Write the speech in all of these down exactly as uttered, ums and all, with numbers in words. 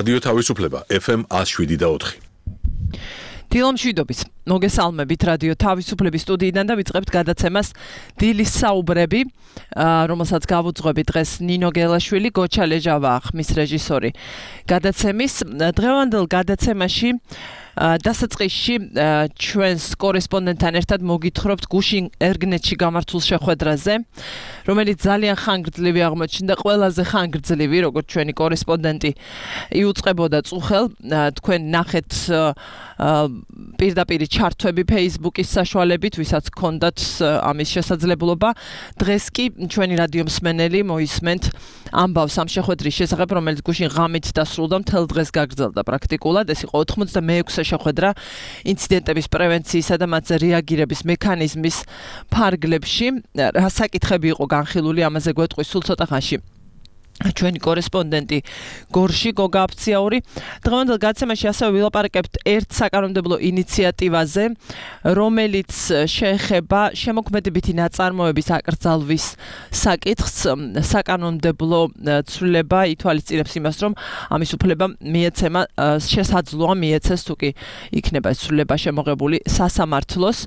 რადიო თავისუფლება ეფ ემ ათს შვიდი და ოთხი. დილო მშვიდობის. მოგესალმებით რადიო თავისუფლების სტუდიიდან და ვიწყებთ გადაცემას დილის საუბრები, რომელსაც გავუძღვები დღეს ნინო გელაშვილი, გოჩა ლეჟავა ხმის რეჟისორი. გადაცემის დღევანდელ გადაცემაში დასაწყისში ჩვენს კორესპონდენტთან ერთად მოგითხრობთ გუშინ ერგნეტში გამართულ შეხვედრაზე, რომელიც ძალიან ხანგრძლივი აღმოჩნდა, ყველაზე ხანგრძლივი, როგორც ჩვენი კორესპონდენტი იუწყებოდა წუხელ. თქვენ ნახეთ პირდაპირ ჩართვები Facebook-ის საშუალებით, ვისაც ჰქონდათ ამის შესაძლებლობა. დღეს კი ჩვენი რადიო მსმენელი მოისმენთ ამბავს ამ შეხვედრის შესახებ, რომელიც გუშინ ღამით დასრულდა, მთელ დღეს გაგრძელდა პრაქტიკულად. ეს იყო ოცდამეექვსე შეხვედრა ინციდენტების პრევენციისა და მათზე რეაგირების მექანიზმის ფარგლებში. რა საკითხები იყო განხილული, ამაზე გვეტყვის სულ ცოტა ხანში ჩვენი კორესპონდენტი გორში გოგა აფციაური. დღევანდელ გადაცემაში ასევე ვილაპარაკებთ ერთ საკანონმდებლო ინიციატივაზე, რომელიც შეეხება შემოქმედებითი ნაწარმოების აკრძალვის საკითხს. საკანონმდებლო ცვლილება ითვალისწინებს იმას, რომ ამის უფლება მიეცემა, შესაძლოა მიეცეს თუ კი იქნება ეს ცვლილება შემოღებული სასამართლოს.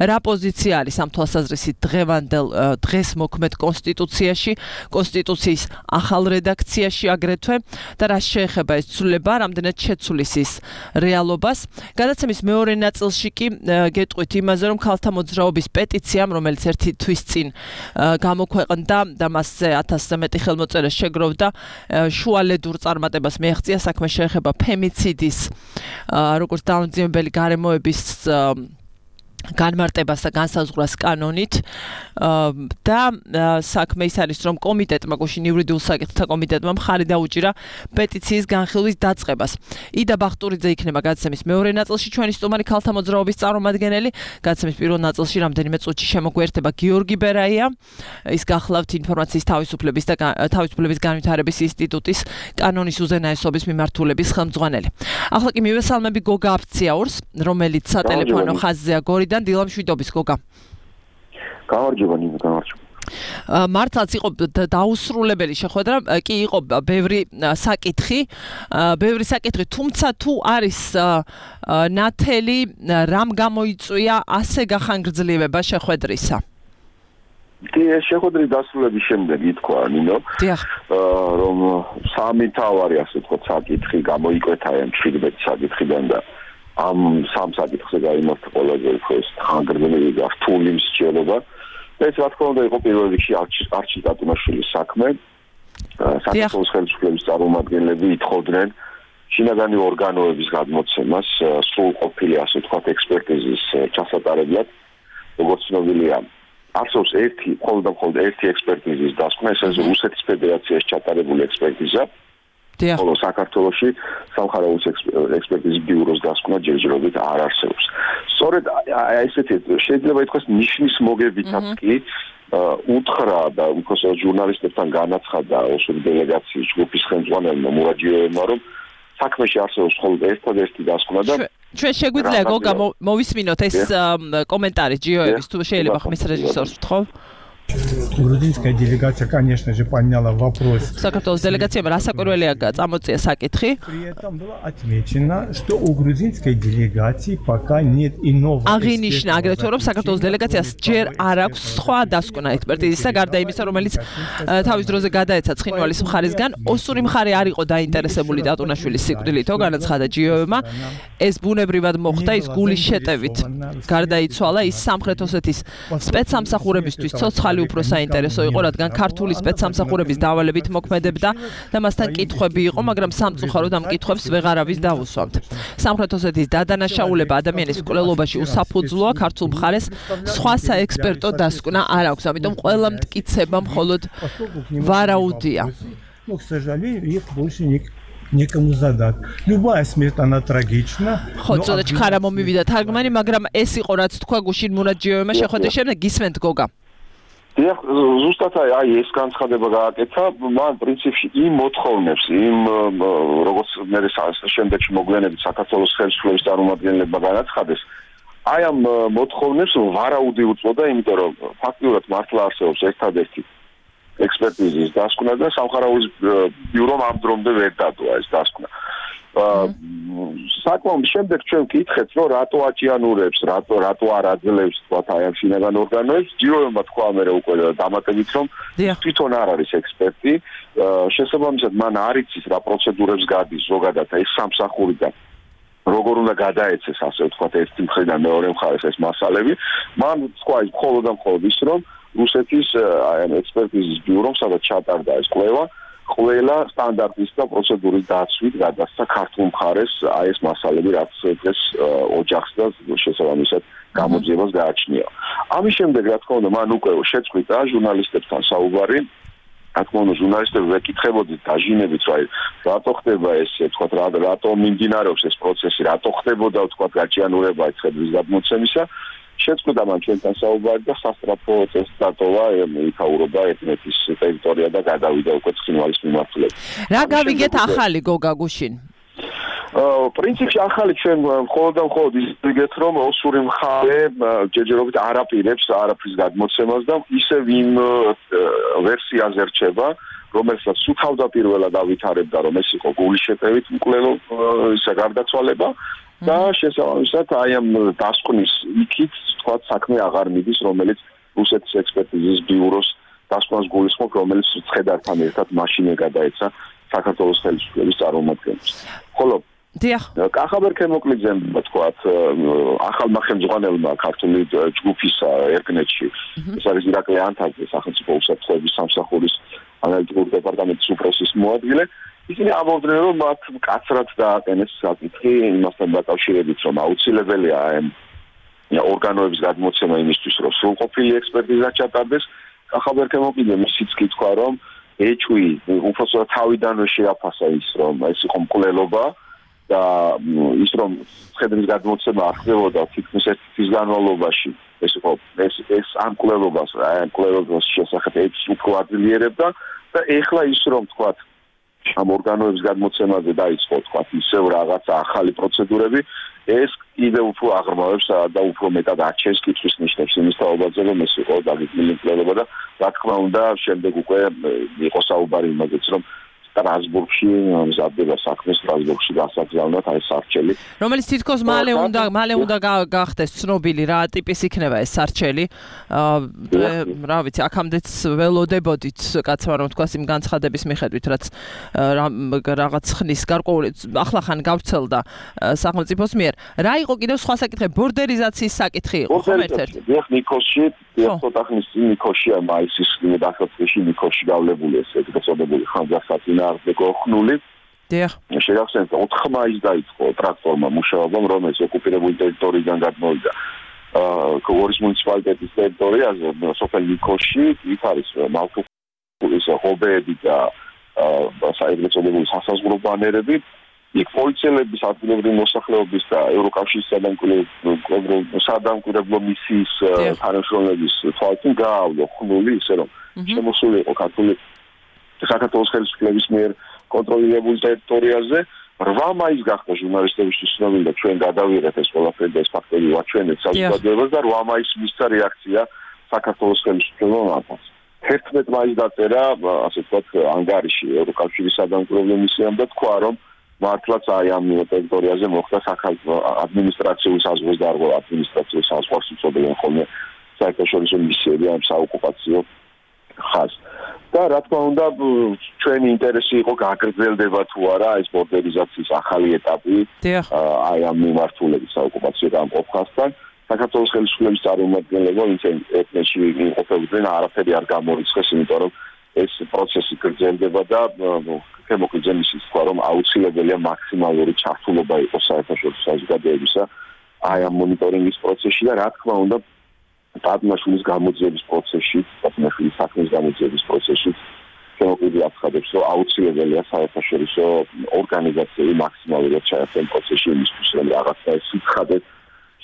რა პოზიცია არის ამ თვალსაზრისით დღევანდელ დღეს მოქმედ კონსტიტუციაში, კონსტიტუციის ახალ რედაქციაში აგრეთვე და რა შეეხება ეს ცვლილება, რამდენად შეცვლის ის რეალობას. გადაცემის მეორე ნაწილში კი გეტყვით იმაზე, რომ ქალთა მოძრაობის პეტიციამ, რომელიც ერთი თვის წინ გამოქვეყნდა და მასზე ათასზე მეტი ხელმოწერა შეგროვდა, შუალედურ წარმატებას მიაღწია. საქმე შეეხება ფემიციდის, როგორც დაუნძიმებელი გარემოების განმარტებას და განსაზღვრას კანონით და საქმე ის არის, რომ კომიტეტმა, გუშინ იურიდიულ საკითხთა კომიტეტმა მხარი დაუჭირა პეტიციის განხილვის დაწყებას. იდა ბახტურიძე იქნება გადაცემის მეორე ნაწილში, ჩვენი სტუმარი ქალთა მოძრაობის წარმომადგენელი. გადაცემის პირველ ნაწილში რამდენიმე წუთში შემოგვიერთება გიორგი ბერაია, ის გახლავთ ინფორმაციის თავისუფლების და თავისუფლების განვითარების ინსტიტუტის კანონის უზენაესობის მიმართულების ხელმძღვანელი. ახლა კი მივესალმები გოგა აფციაურს, რომელიც სატელეფონო ხაზზეა გორიდან. დილო მშვიდობის გოგა. გამარჯობა ნინო, გამარჯობა. მართლაც იყო დაუსრულებელი შეხვედრა, კი იყო ბევრი საკითხი, ბევრი საკითხი, თუმცა თუ არის ნათელი, რამ გამოიწვია ასე გახანგრძლივება შეხვედრისა? კი, ეს შეხვედრის დასრულების შემდეგ ითქვა ნინო, რომ სამი თავარი ასე ვთქვათ საკითხი გამოიკვეთა ამ შვიდმეტ საკითხიდან და ამ სამ საკითხზე გაიმართა ყველაზე უფრო ხანგრძლივი და რთული მსჯელობა. ეს რა თქმა უნდა იყო პირველ რიგში არჩილ კატუნაშვილის საქმე. საქართველოს ხელისუფლების წარმომადგენლები ითხოვდნენ შინაგანი ორგანოების გადმოცემას სრულყოფილი ასე ვთქვათ ექსპერტიზის ჩასატარებლად, როგორც ცნობილია. არსებობს ერთი, მხოლოდ და მხოლოდ ერთი ექსპერტიზის დასკვნა, ეს არის რუსეთის ფედერაციაში ჩატარებული ექსპერტიზა. ხოლო საქართველოში სამხაროების ექსპერტიზის ბიუროს დასკვნა ჯერჯერობით არ არსებობს. სწორედ ესეთი შეიძლება ითქვას ნიშნის მოგებითაც კი უთხრა და უпроსტ ჟურნალისტებთან განაცხადა ოსური დელეგაციის ჯგუფის ხელმძღვანელმა მურაჯიევმა, რომ საქმეში არსებობს მხოლოდ ერთადერთი დასკვნა და ჩვენ შეგვიძლია გოგა მოვისმინოთ ეს კომენტარი ჯიოევის, თუ შეიძლება ხმის რეჟისორს ვთხოვ. Грузинская делегация, конечно же, подняла вопрос. საქართველოს დელეგაციამ რასაკვირველია წამოწია საკითხი. При этом было отмечено, что у грузинской делегации пока нет иного. აღინიშნა აგრეთვე, რომ საქართველოს დელეგაციას ჯერ არ აქვს სხვა დასკვნა ექსპერტიზისა, გარდა იმისა, რომელიც თავის დროზე გადაეცა ცხინვალის მხარისგან. ოსური მხარე არ იყო დაინტერესებული დატუნაშვილის სიკვდილითო, განაცხადა ჯიოევმა. ეს ბუნებრივად მოხდა, ის გულის შეტევით გარდაიცვალა. ის სამხრეთ ოსეთის სპეცსამსახურებისთვის ცოცხალი უფრო საინტერესო იყო, რადგან ქართული სპეცსამსახურების დავალებით მოქმედებდა და მასთან კითხვები იყო, მაგრამ სამწუხაროდ ამ კითხვებს ვეღარავის დაუსვამთ. სამხრეთ ოსეთის დადანაშაულება ადამიანის მკვლელობაში უსაფუძვლოა, ქართულ მხარეს სხვა საექსპერტო დასკვნა არ აქვს, ამიტომ ყველა მტკიცება მხოლოდ ვარაუდია. Ну, к сожалению, их больше никак некому задать. Любая смерть она трагична. ხო, ცოტა ჩქარა მომივიდა თარგმანი, მაგრამ ეს იყო რაც თქვა გუშინ მურაჯიევმა შეხვედრის შემდეგ. გისმენთ გოგა. დიახ, ზუსტად აი ეს განცხადება გააკეთა, მან პრინციპში იმ მოთხოვნებს, იმ როგორც მე შემდეგში მოგვიანებით საქართველოს ხელისუფლების წარმომადგენლებმა განაცხადეს, აი ამ მოთხოვნებს ვარაუდი უწოდა, იმიტომ რომ ფაქტიურად მართლა არსებობს ერთადერთი ექსპერტიზის დასკვნა და სამხაროვის ბიურომ ამ დრომდე ვერ დადო ეს დასკვნა. საკმაოდ შემდეგ ჩვენ ვკითხეთ, რომ რატო აჭიანურებს, რატო რატო არ აძლევს თქვათ აი ამ შინაგან ორგანოებს, ჯიროება თქვა მე უკვე დამატებით რომ თვითონ არ არის ექსპერტი, შესაბამისად მან არ იცის რა პროცედურებს გადის ზოგადად ეს სამსახურიდან. როგორ უნდა გადაეცეს ასე ვთქვათ ერთი მხრიდან მეორე მხარეს ეს მასალები, მან თქვა ის მხოლოდ და მხოლოდ ის რომ რუსეთის აი ამ ექსპერტიზის ბიურომ სადაც ჩატარდა ეს კვლევა ყველა სტანდარტის და პროცედურის დაცვით გადასცა ქართულ მხარეს აი ეს მასალები რაც დღეს ოჯახს და შესაბამისად გამოძიებას გააჩნია. ამის შემდეგ რა თქმა უნდა მან უკვე შეწყვიტა ჟურნალისტებთან საუბარი. რა თქმა უნდა ჟურნალისტები ვეკითხებოდით დაჟინებით რომ აი რატო ხდება ეს თქვა რატო მიმდინარეობს ეს პროცესი, რატო ხდებოდა თქვა გაჭიანურება ხედვის გადმოცემისა. შეწყვიტა მან ჩვენთან საუბარი და სასტრაფო წესს დატოვა იქაურობა ეთნეთის ტერიტორია და გადავიდა უკვე ცხინვალის მიმართულებით. რა გავიგეთ ახალი გოგა გუშინ? პრინციპში ახალი ჩვენ მხოლოდ და მხოლოდ ისეგეთ რომ ოსური მხარე ჯერჯერობით არაპირებს არაფრის გადმოცემას და ისევ იმ ვერსიაზე რჩება რომელსაც სულ თავდაპირველად ავითარებდა რომ ეს იყო გულის შეტევით მკვლელო ისა გარდაცვალება და შესაბამისად აი ამ დასკვნის იქით თქვა საქმე აღარ მიდის რომელიც რუსეთის ექსპერტიზის ბიუროს დასკვნას გულისხმობს რომელიც ცხედართან ერთად მაშინ გადაეცა საქართველოს ხელისუფლების წარმომადგენლებს. ხოლო დიახ კახაბერ ქემოკლიძემ თქვათ ახალმა ხელმძღვანელმა ქართული ჯგუფის ერგნეთში ეს არის ირაკლი ანთაძე სახელმწიფო უსაფრთხოების სამსახურის ანალიტიკური დეპარტამენტის უფროსის მოადგილე ისინი ამბობდნენ რომ მათ მკაცრად დააყენეს საკითხი იმასთან დაკავშირებით რომ აუცილებელია ამ ორგანოების გადმოცემა იმისთვის რომ სრულყოფილი ექსპერტიზა ჩატარდეს კახაბერ ქემოკლიძემ ისიც კი თქვა რომ ეჭვი უბრალოდ თავიდანვე შეაფასა ის რომ ეს იყო მკვლელობა და ის რომ ხედვის გადმოცემა არ ხდებოდა თითქმის ერთი თვის განმავლობაში ეს იყო ეს ეს ამ მკვლელობას ამ მკვლელობის შესახებ ეს უფრო აძლიერებდა და ეხლა ის რომ თქვათ ამ ორგანოების გადმოცემაზე დაიწყო თქვათ ისევ რაღაცა ახალი პროცედურები ეს კიდევ უფრო აღრმავებს და უფრო მეტად აჩენს კითხვის ნიშნებს იმის თაობაზე რომ ეს იყო დაგეგმილი მკვლელობა და რა თქმა უნდა შემდეგ უკვე იყო საუბარი იმაზეც რომ სტრასბურგში მზადდება საქმე სტრასბურგში გასაგზავნოთ აი სარჩელი რომელიც თითქოს მალე უნდა მალე უნდა გახდეს ცნობილი რა ტიპის იქნება ეს სარჩელი რა ვიცი აქამდეც ველოდებოდით კაცმა რომ თქვა იმ განცხადების მიხედვით რაც რაღაც ხნის გარკვეული ახლა ხან გავრცელდა სახელმწიფოს მიერ რა იყო კიდევ სხვა საკითხი ბორდერიზაციის საკითხი იყო ხომ ერთ-ერთი დიახ ნიკოში დიახ ცოტა ხნის წინ ნიკოშია მაისის დასაწყისში ნიკოში გავლებული ეს ეგრეთწოდებული ხანძარსაწინა არდეკო ხნული. დიახ. შეგახსენებთ ოთხ მაისს დაიწყო ტრაქტორმა მუშაობა, რომელიც ოკუპირებული ტერიტორიიდან გადმოვიდა. აა გორის მუნიციპალიტეტის ტერიტორიაზე, სოფელ ნიკოში, იქ არის მალტუის ჰობეები და აა საერთაშორისო სასაზღვრო ბანერები. იქ პოლიციელების ადგილობრივი მოსახლეობის და ევროკავშირის სადამკვირვებლო მისიის თანამშრომლების თვალწინ გაავლო ხნული ისე რომ შემოსული იყო ქართული საქართველოს ხელისუფლების მიერ კონტროლირებულ ტერიტორიაზე რვა მაისს გახდა ჟურნალისტებისთვის ცნობილი და ჩვენ გადავიღეთ ეს ყველაფერი და ეს ფაქტები ვაჩვენეთ საზოგადოებას და რვა მაისს მისცა რეაქცია საქართველოს ხელისუფლებამ ამას. თერთმეტ მაისს დაწერა ასე ვთქვათ ანგარიში ევროკავშირის სადამკვირვებლო მისიამ და თქვა რომ მართლაც აი ამ ტერიტორიაზე მოხდა საქართველოს ადმინისტრაციული საზღვრის დარღვევა ადმინისტრაციული საზღვარს უწოდებენ ხოლმე საერთაშორისო მისიები ამ საოკუპაციო ხაზს. და რა თქმა უნდა ჩვენი ინტერესი იყო გაგრძელდება თუ არა ეს ბორდერიზაციის ახალი ეტაპი აი ამ მიმართულების საოკუპაციო გამყოფასთან საქართველოს ხელისუფლების წარმომადგენლებმა ვინც ეთნეთში იმყოფებოდნენ არაფერი არ გამორიცხეს იმიტომ რომ ეს პროცესი გრძელდება და ქემოკლიძემ ისიც თქვა რომ აუცილებელია მაქსიმალური ჩართულობა იყოს საერთაშორისო საზოგადოებისა აი ამ მონიტორინგის პროცესში და რა თქმა უნდა პატიმაშვილის გამოძიების პროცესში, პატიმაშვილის საქმის გამოძიების პროცესში ქემოკლიძე აცხადებს, რომ აუცილებელია საერთაშორისო ორგანიზაციები მაქსიმალურად ჩაერთონ პროცესში იმისთვის, რომ რაღაცა ეს სიცხადე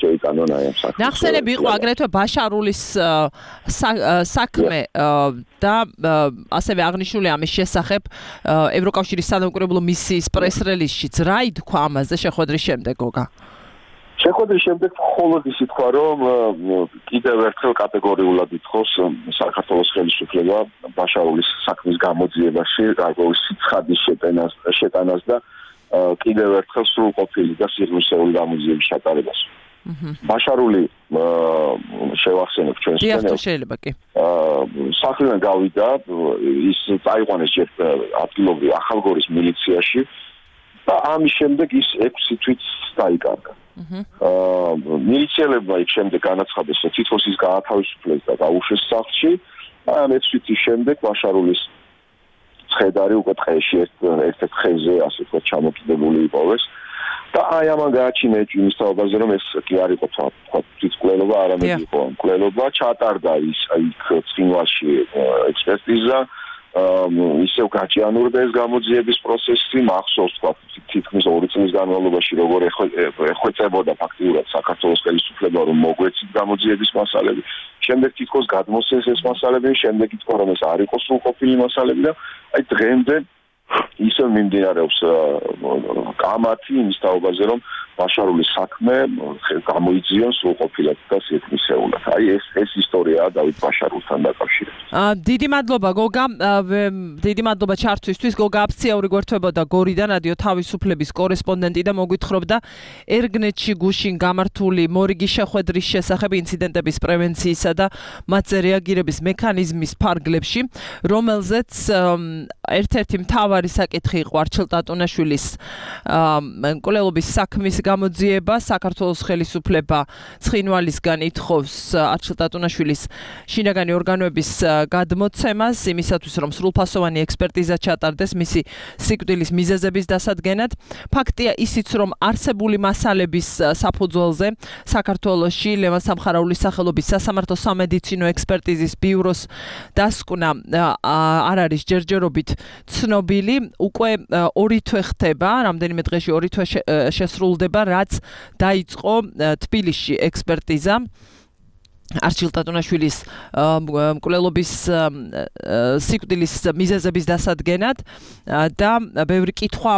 შეიტანონ აი ამ საქმეს. ნახსენები იყო აგრეთვე ბაშარულის საქმე და ასევე აღნიშნული ამის შესახებ ევროკავშირის სადამკვირვებლო მისიის პრეს-რელიზშიც რა ითქვა ამაზე შეხვედრის შემდეგ გოგა? შეხვედრის შემდეგ მხოლოდ ის ითქვა, რომ კიდევ ერთხელ კატეგორიულად ითხოვს საქართველოს ხელისუფლება ბაშარულის საქმის გამოძიებაში, გარკვეული სიცხადის შეტანას, შეტანას და კიდევ ერთხელ სრულყოფილი და სიღრმისეული გამოძიების ჩატარებას. ბაშარული შევახსენებ ჩვენს სცენარს. შეიძლება კი. სახლიდან გავიდა, ის წაიყვანეს ჯერ ადგილობრივ ახალგორის მილიციაში და ამის შემდეგ ის ექვსი თვით დაიკარგა. აა მილიციელებმა იქ შემდეგ განაცხადეს, რომ თითქოს ის გაათავისუფლეს და გაუშვეს სახლში. ამ ექვსი თვის შემდეგ ბაშარულის ცხედარი უკვე დღეში ერთ-ერთ ხეზე ასე ვთქვათ ჩამოკიდებული იპოვეს. და აი ამან გააჩინა იმის თავაზე რომ ეს კი არ იყო თქვა თვითმკვლელობა, არამედ იყო მკვლელობა, ჩატარდა ის იქ ცხინვალში ექსპერტიზა, ისევ გაჭიანურდა ეს გამოძიების პროცესი, მახსოვს თქვა თითქმის ორი წლის განმავლობაში როგორ ეხვეწებოდა ფაქტიურად საქართველოს ხელისუფლება რომ მოგვეცით გამოძიების მასალები, შემდეგ თითქოს გადმოსცეს ეს მასალები, შემდეგ ითქვა რომ ეს არ იყო სრულყოფილი მასალები და აი დღემდე ისე მიმდინარეობს კამათი იმის თაობაზე რომ ბაშარულის საქმე გამოიძიონ სრულყოფილად და სიეთმისეულად. აი ეს ეს ისტორიაა დავით ბაშარულთან დაკავშირებით. დიდი მადლობა გოგა, დიდი მადლობა ჩართვისთვის. გოგა აფციური გვერდებოდა გორიდან რადიო თავისუფლების კორესპონდენტი და მოგვითხრობდა ერგნეთში გუშინ გამართული მორიგი შეხვედრის შესახებ ინციდენტების პრევენციისა და მათზე რეაგირების მექანიზმის ფარგლებში, რომელზეც ერთ-ერთი მთავარი საკითხი იყო არჩილ ტატუნაშვილის მკვლელობის საქმის გამოძიება. საქართველოს ხელისუფლება ცხინვალისგან ითხოვს არჩილ ტატუნაშვილის შინაგანი ორგანოების გადმოცემას იმისათვის რომ სრულფასოვანი ექსპერტიზა ჩატარდეს მისი სიკვდილის მიზეზების დასადგენად. ფაქტია ისიც რომ არსებული მასალების საფუძველზე საქართველოში ლევან სამხარაულის სახელობის სასამართლო სამედიცინო ექსპერტიზის ბიუროს დასკვნა არ არის ჯერჯერობით ცნობილი. უკვე ორი თვე ხდება, რამდენიმე დღეში ორი თვე შესრულდება, რაც დაიწყო თბილისში ექსპერტიზა არჩილ ტატუნაშვილის მკვლელობის სიკვდილის მიზეზების დასადგენად და ბევრი კითხვა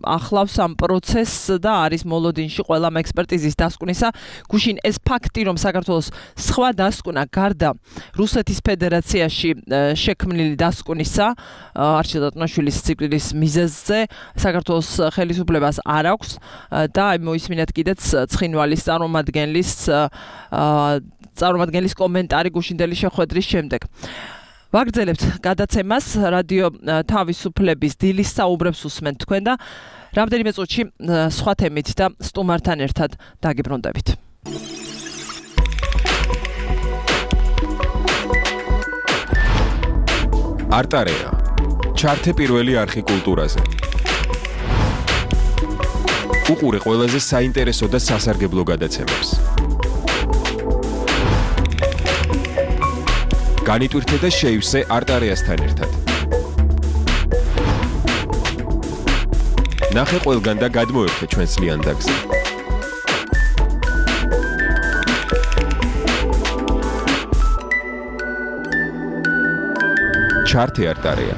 ახლავს ამ პროცესს და არის მოლოდინში ყველა ექსპერტიზის დასკვნისა. გუშინ ეს ფაქტი რომ საქართველოს სხვა დასკვნა გარდა რუსეთის ფედერაციაში შექმნილი დასკვნისა არჩილ ტატუნაშვილის სიკვდილის მიზეზზე საქართველოს ხელისუფლებას არ აქვს და აი მოისმინეთ კიდეც ცხინვალის წარმომადგენლის წარმომადგენლის კომენტარი გუშინდელი შეხვედრის შემდეგ. ვაგრძელებთ გადაცემას რადიო თავისუფლების დილის საუბრებს უსმენთ თქვენ და რამდენიმე წუთში სხვა თემით და სტუმართან ერთად დაგიბრუნდებით. არტარეა. ჩართე პირველი არხი კულტურაზე. უყურე ყველაზე საინტერესო და სასარგებლო გადაცემებს. განიტვირთე და შეივსე არტარეასთან ერთად. ნახე ყველგან და გადმოერთე ჩვენს ლიანდაგზე. ჩართე არტარეა.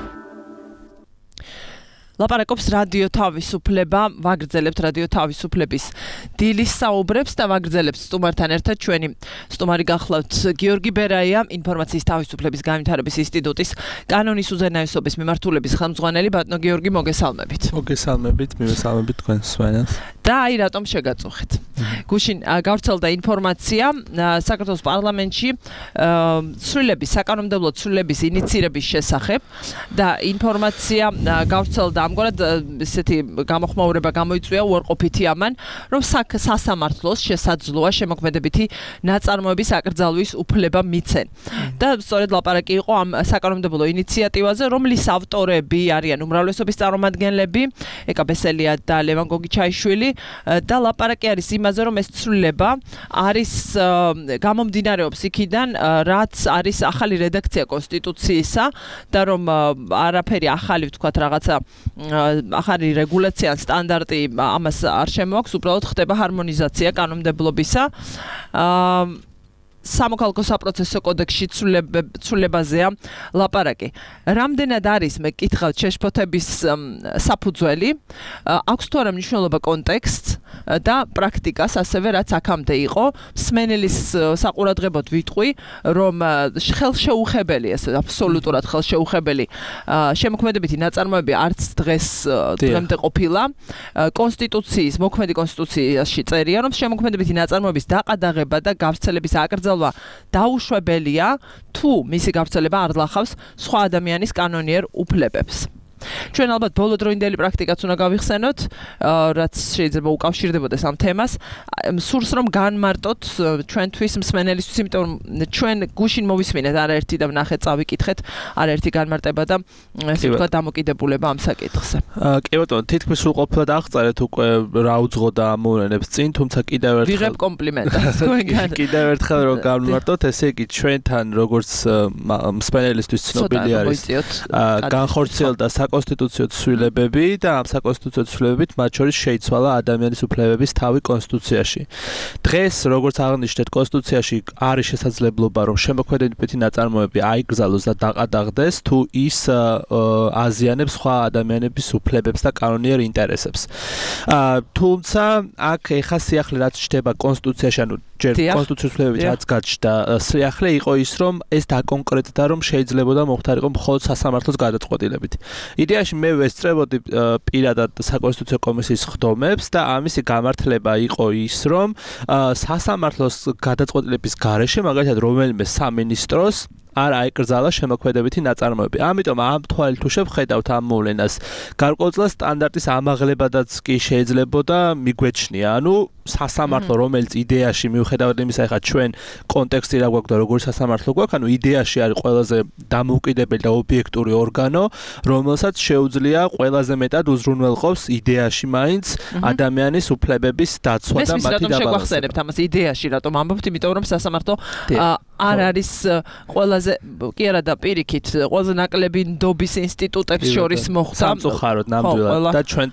ლაპარაკობს რადიო თავისუფლება, ვაგრძელებთ რადიო თავისუფლების დილის საუბრებს და ვაგრძელებთ სტუმართან ერთად ჩვენი სტუმარი გახლავთ გიორგი ბერაია, ინფორმაციის თავისუფლების განვითარების ინსტიტუტის კანონის უზენაესობის მიმართულების ხელმძღვანელი. ბატონო გიორგი, მოგესალმებით. მოგესალმებით, მივესალმებით თქვენს მსმენელს. და აი რატომ შეგაწუხეთ. გუშინ გავრცელდა ინფორმაცია საქართველოს პარლამენტში ცვლილების, საკანონმდებლო ცვლილების ინიცირების შესახებ და ინფორმაცია გავრცელდა ამგვარად ესეთი გამოხმაურება გამოიწვია უარყოფითი ამან, რომ სასამართლოს შესაძლოა შემოქმედებითი ნაწარმოების აკრძალვის უფლება მიცენ. და სწორედ ლაპარაკი იყო ამ საკანონმდებლო ინიციატივაზე, რომლის ავტორები არიან უმრავლესობის წარმომადგენლები, ეკა ბესელია და ლევან გოგიჩაიშვილი და ლაპარაკი არის იმაზე, რომ ეს ცვლილება არის გამომდინარეობს იქიდან, რაც არის ახალი რედაქცია კონსტიტუციისა და რომ არაფერი ახალი ვთქვათ რაღაცა ახალი რეგულაცია ან სტანდარტი ამას არ შემოაქვს, უბრალოდ ხდება ჰარმონიზაცია კანონმდებლობისა. სამოქალაქო საპროცესო კოდექსში ცვლილებაზეა ლაპარაკი. Რამდენად არის მე კითხავთ შეშფოთების საფუძველი, აქვს თუ არა მნიშვნელობა კონტექსტს და პრაქტიკას, ასევე რაც აქამდე იყო, მსმენელის საყურადღებოდ ვიტყვი, რომ ხელშეუხებელი, ეს აბსოლუტურად ხელშეუხებელი შემოქმედებითი ნაწარმოები არც დღეს დღემდე ყოფილა. კონსტიტუციის, მოქმედი კონსტიტუციაში წერია, რომ შემოქმედებითი ნაწარმოების დაყადაღება და გავრცელების აკრძალვა დაუშვებელია, თუ მისი გავრცელება არ ლახავს სხვა ადამიანის კანონიერ უფლებებს. ჩვენ ალბათ ბოლოდროინდელი პრაქტიკაც უნდა გავიხსენოთ, რაც შეიძლება უკავშირდებოდეს ამ თემას. სურს რომ განმარტოთ ჩვენთვის მსმენელისთვის, იმიტომ რომ ჩვენ გუშინ მოვისმინეთ არაერთი და ვნახეთ, წავიკითხეთ არაერთი განმარტება და ესე ვთქვა დამოკიდებულება ამ საკითხზე. კი ბატონო, თითქმის სულ ყოფილად აღწერეთ უკვე რა უძღოდა ამ მოვლენებს წინ, თუმცა კიდევ ერთხელ ვიღებ კომპლიმენტს თქვენგან. კიდევ ერთხელ რომ განმარტოთ, ესე იგი ჩვენთან როგორც მსმენელისთვის ცნობილი არის განხორციელდა საკონსტიტუციო ცვლილებები და ამ საკონსტიტუციო ცვლილებებით მათ შორის შეიცვალა ადამიანის უფლებების თავი კონსტიტუციაში. დღეს როგორც აღნიშნეთ, კონსტიტუციაში არის შესაძლებლობა რომ შემოქმედებითი ნაწარმოები აიგზალოს და დაყადაღდეს, თუ ის აზიანებს სხვა ადამიანების უფლებებს და კანონიერ ინტერესებს. თუმცა აქ ეხა სიახლე რაც ჩდება კონსტიტუციაში, ანუ ჯერ კონსტიტუციის ცვლილებებით რაც გაჩნდა, სიახლე იყო ის რომ ეს დაკონკრეტდა რომ შეიძლებოდა მოხდარიყო მხოლოდ სასამართლოს გადაწყვეტილებით. იდეაში მე ვესწრებოდი პირადად საკონსტიტუციო კომისიის ხდომებს და ამისი გამართლება იყო ის, რომ სასამართლოს გადაწყვეტილების გარეშე, მაგალითად რომელიმე სამინისტროს არ აიკრძალა შემოქმედებითი ნაწარმოები. ამიტომ ამ თვალით თუ შევხედავთ ამ მოვლენას, გარკვეულწილად სტანდარტის ამაღლებადაც კი შეიძლებოდა მიგვეჩნია. ანუ სასამართლო, რომელიც იდეაში მიუხედავად იმისა, ეხლა ჩვენ კონტექსტი რა გვაქვს და როგორი სასამართლო გვაქვს, ანუ იდეაში არის ყველაზე დამოუკიდებელი და ობიექტური ორგანო, რომელსაც შეუძლია ყველაზე მეტად უზრუნველყოფს იდეაში მაინც ადამიანის უფლებების დაცვა და მათი დაბალანსება. რატომ შეგვახსენებთ ამას იდეაში, რატომ ამბობთ, იმიტომ რომ სასამართლო არ არის ყველაზე კი არა და პირიქით ყველაზე ნაკლები ნდობის ინსტიტუტებს შორის მოხვდა სამწუხაროდ ნამდვილად და ჩვენ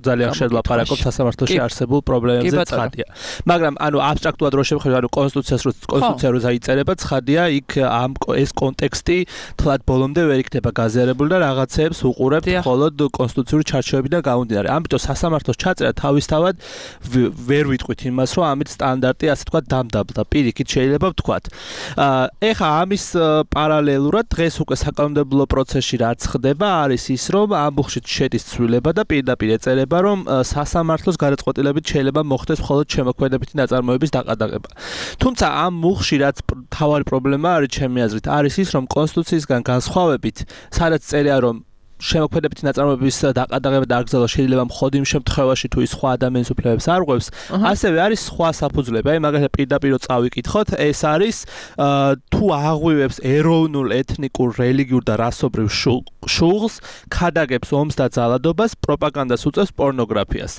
ძალიან ხშირად ლაპარაკობთ სასამართლოში არსებულ პრობლემებზე ცხადია. მაგრამ ანუ აბსტრაქტულად რო შევხედოთ, ანუ კონსტიტუციას რო კონსტიტუცია რო დაიწერება, ცხადია იქ ამ ეს კონტექსტი თლად ბოლომდე ვერ იქნება გაზიარებული და რაღაცეებს უყურებთ მხოლოდ კონსტიტუციური ჩარჩოებიდან გამომდინარე. ამიტომ სასამართლოს ჩაწერა თავისთავად ვერ ვიტყვით იმას, რომ ამით სტანდარტი ასე თქვა დამდაბლდა. პირიქით შეიძლება ვთქვათ. ეხა ამის პარალელურად დღეს უკვე საკანონმდებლო პროცესში რაც ხდება, არის ის, რომ ამ ბუხში შედის ცვლილება და პირდაპირ ეწერება რომ სასამართლოს გადაწყვეტილებით შეიძლება მოხდეს მხოლოდ შემოქმედებითი ნაწარმოების დაყადაღება. თუმცა ამ მუხში რაც თავარი პრობლემა არის ჩემი აზრით, არის ის, რომ კონსტიტუციისგან განსხვავებით, სადაც წერია რომ შემოქმედებითი ნაწარმოების დაყადაღება და აკრძალვა შეიძლება მხოლოდ იმ შემთხვევაში, თუ ის სხვა ადამიანის უფლებებს არ ღვევს, ასევე არის სხვა საფუძვლები. აი მაგალითად პირდაპირ წავიკითხოთ, ეს არის თუ აღვივებს ეროვნულ, ეთნიკურ, რელიგიურ და რასობრივ შუღლს, ქადაგებს ომს და ძალადობას, პროპაგანდას უწევს, პორნოგრაფიას.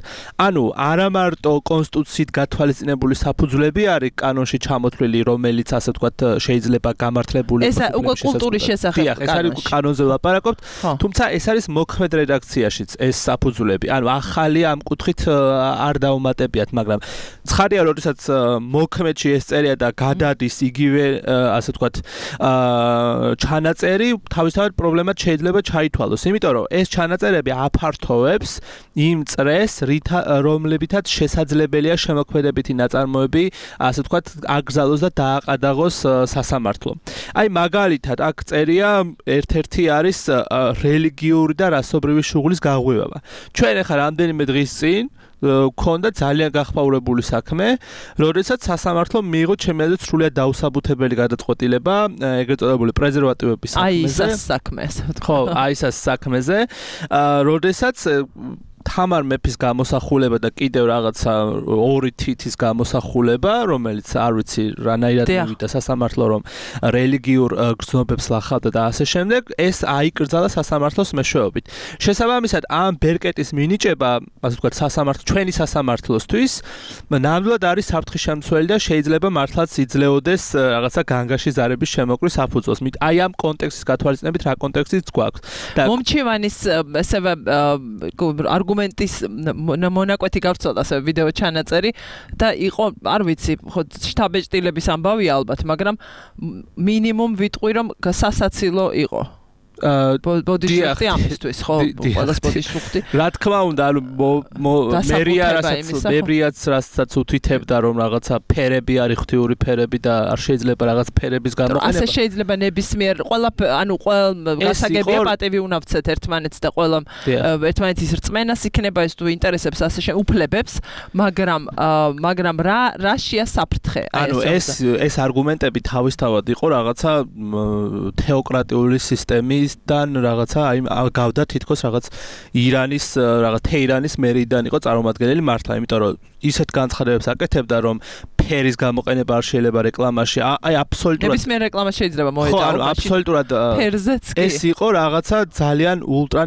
ანუ არა მარტო კონსტიტუციით გათვალისწინებული საფუძვლები არის კანონში ჩამოთვლილი, რომელიც ასე ვთქვათ შეიძლება გამართლებული ეს უკვე კულტურის შესახებ კანონში. ეს არის კანონზე ვლაპარაკობთ, თუმცა ეს არის მოქმედ რედაქციაშიც ეს საფუძვლები. ანუ ახალი ამ კუთხით არ დაუმატებიათ, მაგრამ ცხადია, როდესაც მოქმედში ეს წერია და გადადის იგივე ასე ვთქვათ ჩანაწერი, თავისთავად პრობლემად შეიძლება ჩაითვალოს, იმიტომ რომ ეს ჩანაწერები აფართოვებს იმ წრეს, რომლებითაც შესაძლებელია შემოქმედებითი ნაწარმოები, ასე ვთქვათ, აკრძალოს და დააყადაღოს სასამართლო. აი მაგალითად, აქ წერია ერთ-ერთი არის რელიგიური და რასობრივი შუღლის გაღვივება. ჩვენ ახლა რამდენიმე დღის წინ გქონდა ძალიან გახმაურებული საქმე, როდესაც სასამართლომ მიიღო ჩემი აზრით სრულიად დაუსაბუთებელი გადაწყვეტილება ეგრეთ წოდებული პრეზერვატივების საქმეზე. აი ეს საქმეზე. ხო, აი ეს საქმეზე, როდესაც თამარ მეფის გამოსახულება და კიდევ რაღაცა ორი თითის გამოსახულება, რომელიც არ ვიცი რანაირად მივიდა სასამართლო, რომ რელიგიურ გრძნობებს ლახავდა და ასე შემდეგ, ეს აიკრძალა სასამართლოს მეშვეობით. შესაბამისად, ამ ბერკეტის მინიჭება, ასე ვთქვათ, სასამართლო, ჩვენი სასამართლოსთვის, ნამდვილად არის საფრთხის შემცველი და შეიძლება მართლაც იძლეოდეს რაღაცა განგაში ზარების შემოკვრის საფუძველს. აი ამ კონტექსტის გათვალისწინებით რა კონტექსტიც გვაქვს. მომჩივანის ესევე არგუმენტის მონაკვეთი გავრცელდა ასე ვიდეო ჩანაწერი და იყო არ ვიცი ხო შტაბეჭდილების ამბავია ალბათ მაგრამ მინიმუმ ვიტყვი რომ სასაცილო იყო ბოდიშუხტი ამისთვის ხო ყველას ბოდიშუხტი რა თქმა უნდა ანუ მერია რასაც მერიაც რასაც უთითებდა რომ რაღაცა ფერები არის ღვთიური ფერები და არ შეიძლება რაღაც ფერების გამოყენება ასე შეიძლება ნებისმიერ ყველა ანუ ყველა გასაგებია პატივი უნავცეთ ერთმანეთს და ყველა ერთმანეთის რწმენას იქნება ეს თუ ინტერესებს ასე შეუფლებებს მაგრამ მაგრამ რა რაშია საფრთხე ანუ ეს ეს არგუმენტები თავისთავად იყო რაღაცა თეოკრატიული სისტემის დან რაღაცა აი გავდა თითქოს რაღაც ირანის რაღაც თეირანის მერიდან იყო წარმომადგენელი მართლა იმიტომ რომ ისეთ განცხადებებს აკეთებდა რომ ფერის გამოყენება არ შეიძლება რეკლამაში აი აბსოლუტურად ნებისმიერ რეკლამაში შეიძლება მოეწარო ხო აბსოლუტურად ფერზეც კი ეს იყო რაღაცა ძალიან ულტრა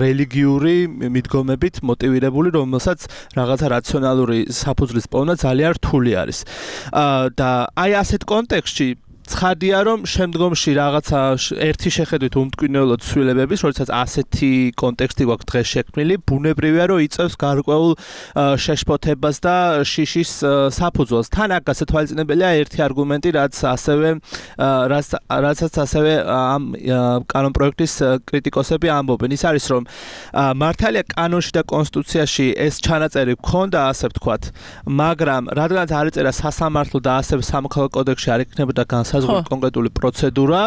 რელიგიური მიდგომებით მოტივირებული რომელსაც რაღაცა რაციონალური საფუძვლის პოვნა ძალიან რთული არის და აი ასეთ კონტექსტში ცხადია რომ შემდგომში რაღაცა ერთი შეხედვით უმტკივნეულოდ ცვლილებების, როდესაც ასეთი კონტექსტი გვაქვს დღეს შექმნილი, ბუნებრივია რომ იწევს გარკვეულ შეშფოთებას და შიშის საფუძველს. თან აქ გასათვალისწინებელია ერთი არგუმენტი, რაც ასევე რაც რაცაც ასევე ამ კანონპროექტის კრიტიკოსები ამბობენ. ის არის რომ მართალია კანონში და კონსტიტუციაში ეს ჩანაწერი გქონდა, ასე ვთქვათ, მაგრამ რადგანაც არ ეწერა სასამართლო და ასევე სამოქალაქო კოდექსში არ იქნებოდა განსაზღვრული კონკრეტული პროცედურა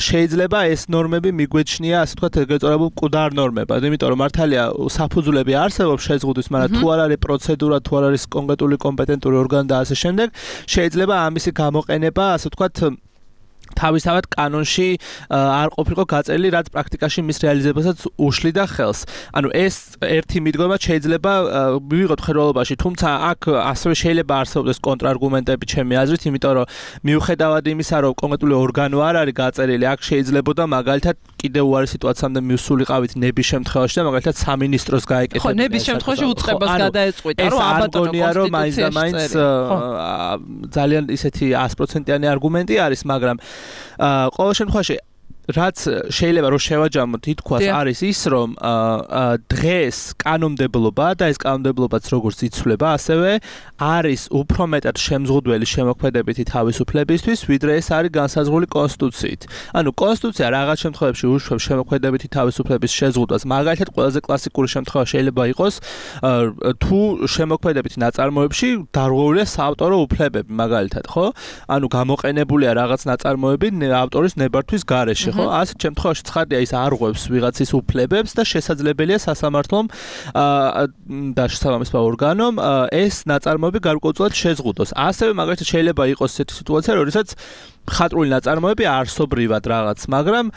შეიძლება ეს ნორმები მიგვეჩნია ასე ვთქვათ ეგრეთ წოდებულ მკვდარ ნორმებად იმიტომ რომ მართალია საფუძვლები არსებობს შეზღუდვის მაგრამ თუ არ არის პროცედურა თუ არ არის კონკრეტული კომპეტენტური ორგანო და ასე შემდეგ შეიძლება ამისი გამოყენება ასე ვთქვათ თავისთავად კანონში არ ყოფილიყო გაწერილი, რაც პრაქტიკაში მის რეალიზებასაც უშლიდა ხელს. ანუ ეს ერთი მიდგომა შეიძლება მივიღოთ ხელოვნებაში, თუმცა აქ ასევე შეიძლება არსებობდეს კონტრარგუმენტები ჩემი აზრით, იმიტომ რომ მიუხედავად იმისა, რომ კონკრეტული ორგანო არ არის გაწერილი, აქ შეიძლებოდა მაგალითად კიდევ უარი სიტუაციამდე მივსულიყავით ნების შემთხვევაში და მაგალითად სამინისტროს გაეკეთებინა. ხო, ნების შემთხვევაში უწყებას გადაეწყვიტა, რომ აბატონო კონსტიტუციაში ძალიან ისეთი sto პროცენტიანი არგუმენტი არის, მაგრამ ყოველ შემთხვევაში რაც შეიძლება რომ შევაჯამოთ ითქვას არის ის რომ დღეს კანონმდებლობა და ეს კანონმდებლობაც როგორც იცვლება ასევე არის უფრო მეტად შემზღუდველი შემოქმედებითი თავისუფლებისთვის ვიდრე ეს არის განსაზღვრული კონსტიტუციით. ანუ კონსტიტუცია რაღაც შემთხვევებში უშვებს შემოქმედებითი თავისუფლების შეზღუდვას. მაგალითად ყველაზე კლასიკური შემთხვევა შეიძლება იყოს თუ შემოქმედებითი ნაწარმოებში დარღვეულია საავტორო უფლებები მაგალითად ხო? ანუ გამოყენებულია რაღაც ნაწარმოები ავტორის ნებართვის გარეშე ხო ასეთ შემთხვევაში ცხადია ის არღვევს ვიღაცის უფლებებს და შესაძლებელია სასამართლომ და შესაბამის ორგანომ ეს ნაწარმოები გარკვეულწილად შეზღუდოს. ასევე მაგალითად შეიძლება იყოს ესეთი სიტუაცია, როდესაც ხატრული ნაწარმოები არსობრივად რაღაც, მაგრამ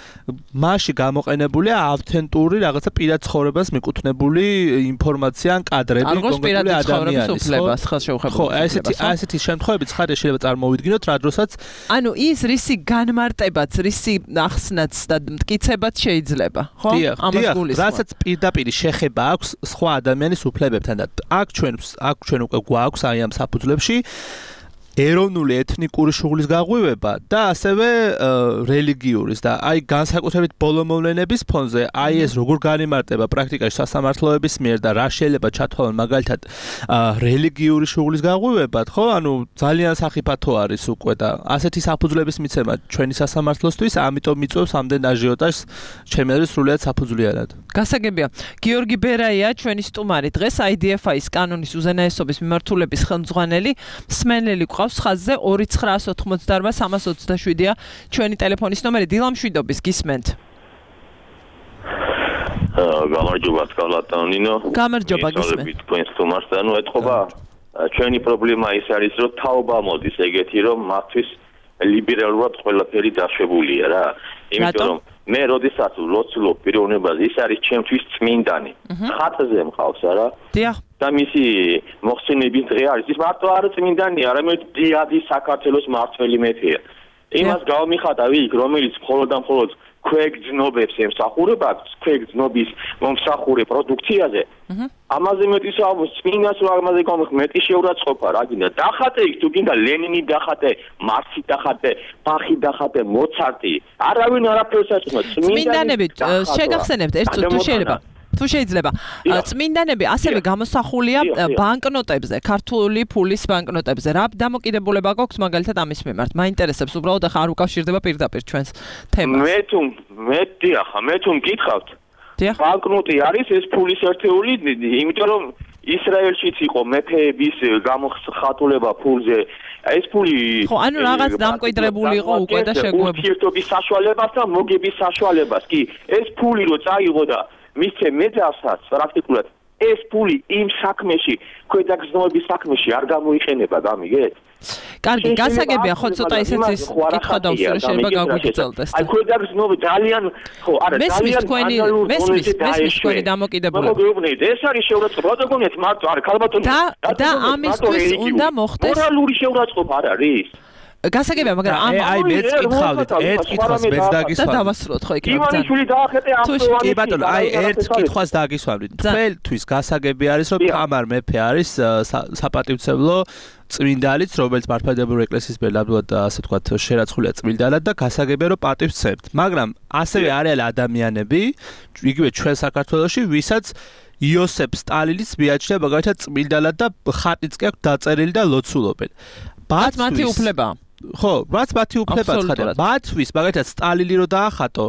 მასში გამოყენებულია ავთენტური რაღაცა პირად ცხოვრებას მიკუთვნებული ინფორმაცია ან კადრები კონკრეტული ადამიანის ხო, ესეთი ესეთი შემთხვევები ცხადია შეიძლება წარმოვიდგინოთ რა დროსაც ანუ ის რისი განმარტებაც, რისი ახსნაც და მტკიცებაც შეიძლება, ხო? ამას გულისხმობ. რასაც პირდაპირ შეხება აქვს სხვა ადამიანის უფლებებთან და აქ ჩვენ აქ ჩვენ უკვე გვაქვს აი ამ საფუძვლებში ეროვნული ეთნიკური შუღლის გაღვივება და ასევე რელიგიურის და აი განსაკუთრებით ბოლომოვლენების ფონზე აი ეს როგორ განიმარტება პრაქტიკაში სასამართლოების მიერ და რა შეიძლება ჩათვალონ მაგალითად რელიგიური შუღლის გაღვივებად ხო ანუ ძალიან სახიფათო არის უკვე და ასეთი საფუძვლების მიცემა ჩვენი სასამართლოსთვის ამიტომ მიწვევს ამდენ აჟიოტაჟს ჩემი აზრით სრულიად საფუძვლიანად. გასაგებია გიორგი ბერაია ჩვენი სტუმარი დღეს აი დი ეფ აის კანონის უზენაესობის მიმართულების ხელმძღვანელი მსმენელი ხაზზე ორი ცხრაას ოთხმოცდაორმა სამას ოცდაშვიდია ჩვენი ტელეფონის ნომერი დილამშვიდობის გისმენთ. გამარჯობა სკალატონინო. გამარჯობა გისმენთ. თქვენ სტუმარს და ნუ ეთქობა ჩვენი პრობლემა ის არის რომ თაობა მოდის ეგეთი რომ მათთვის ლიბერალურად ყველაფერი დაშვებულია რა. იმიტომ რომ მე როდესაც ლოცულობ პიროვნებას ის არის ჩემთვის წმინდანი. ხატზე მყავს არა? დიახ. და მისი მოხსენების დღე არის. ის მარტო არ წმინდანია, არამედ დიადი საქართველოს მართველი მეფეა. იმას გავმიხატავი იქ, რომელიც მხოლოდ და მხოლოდ ქვეგძნობებს ემსახურება, ქვეგძნობის მომსახურე პროდუქციაზე. ამაზე მეტი საუბრის წმინდას რა ამაზე გამიხ მეტი შეურაცხყოფა რა გინდა. დახატე იქ თუ გინდა ლენინი დახატე, მარქსი დახატე, ბახი დახატე, მოცარტი. არავინ არაფერს აწმო. წმინდანები შეგახსენებთ ერთ თუ შეიძლება თუ შეიძლება. წმინდანები ასევე გამოსახულია ბანკნოტებზე, ქართული ფულის ბანკნოტებზე. რა დამოკიდებულება გვაქვს მაგალითად ამის მიმართ? მაინტერესებს უბრალოდ ახლა არ უკავშირდება პირდაპირ ჩვენს თემას. მე თუ მე დიახ, მე თუ მკითხავთ. ბანკნოტი არის ეს ფულის ერთეული, იმიტომ რომ ისრაელშიც იყო მეფეების გამოხატულება ფულზე. ეს ფული ხო, ანუ რაღაც დამკვიდრებული იყო უკვე და შეგუება. ურთიერთობის საშუალებას და მოგების საშუალებას. კი, ეს ფული რო წაიღო და მისცე მეძავსაც პრაქტიკულად ეს ფული იმ საქმეში, ქვედაგზნობის საქმეში არ გამოიყენება, გამიგეთ? კარგი, გასაგებია, ხო ცოტა ისეც ის კითხვა დავსვრო, შეიძლება გაგვიგრძელდეს. აი ქვედაგზნობა ძალიან, ხო, არა, ძალიან თქვენი მესმის, მესმის თქვენი დამოკიდებულება. მოგეუბნეთ, ეს არის შეურაცხყოფა, რა გონიათ, მარტო არა, ქალბატონი. და და ამისთვის უნდა მოხდეს მორალური შეურაცხყოფა არ არის. გასაგებია, მაგრამ ამ აი მეც კითხავდით, ერთ კითხვას მეც დაგისვამდით. და დავასრულოთ ხო იქ. ივანიშვილი დაახეტე ახლოვანი. კი ბატონო, აი ერთ კითხვას დაგისვამდით. თქვენთვის გასაგები არის, რომ თამარ მეფე არის საპატივცემლო წმინდანიც, რომელიც მართლმადიდებლური ეკლესიის მიერ ნამდვილად ასე ვთქვათ შერაცხულია წმინდანად და გასაგებია, რომ პატივს სცემთ. მაგრამ ასევე არიან ადამიანები, იგივე ჩვენ საქართველოში, ვისაც იოსებ სტალინის მიაჩნია მაგალითად წმინდანად და ხატიც კი აქვს დაწერილი და ლოცულობენ. ბათ მათი უფლება. ხო, რაც მათი უფლება ცხადია. მათთვის მაგალითად სტალინი რო დაახატო,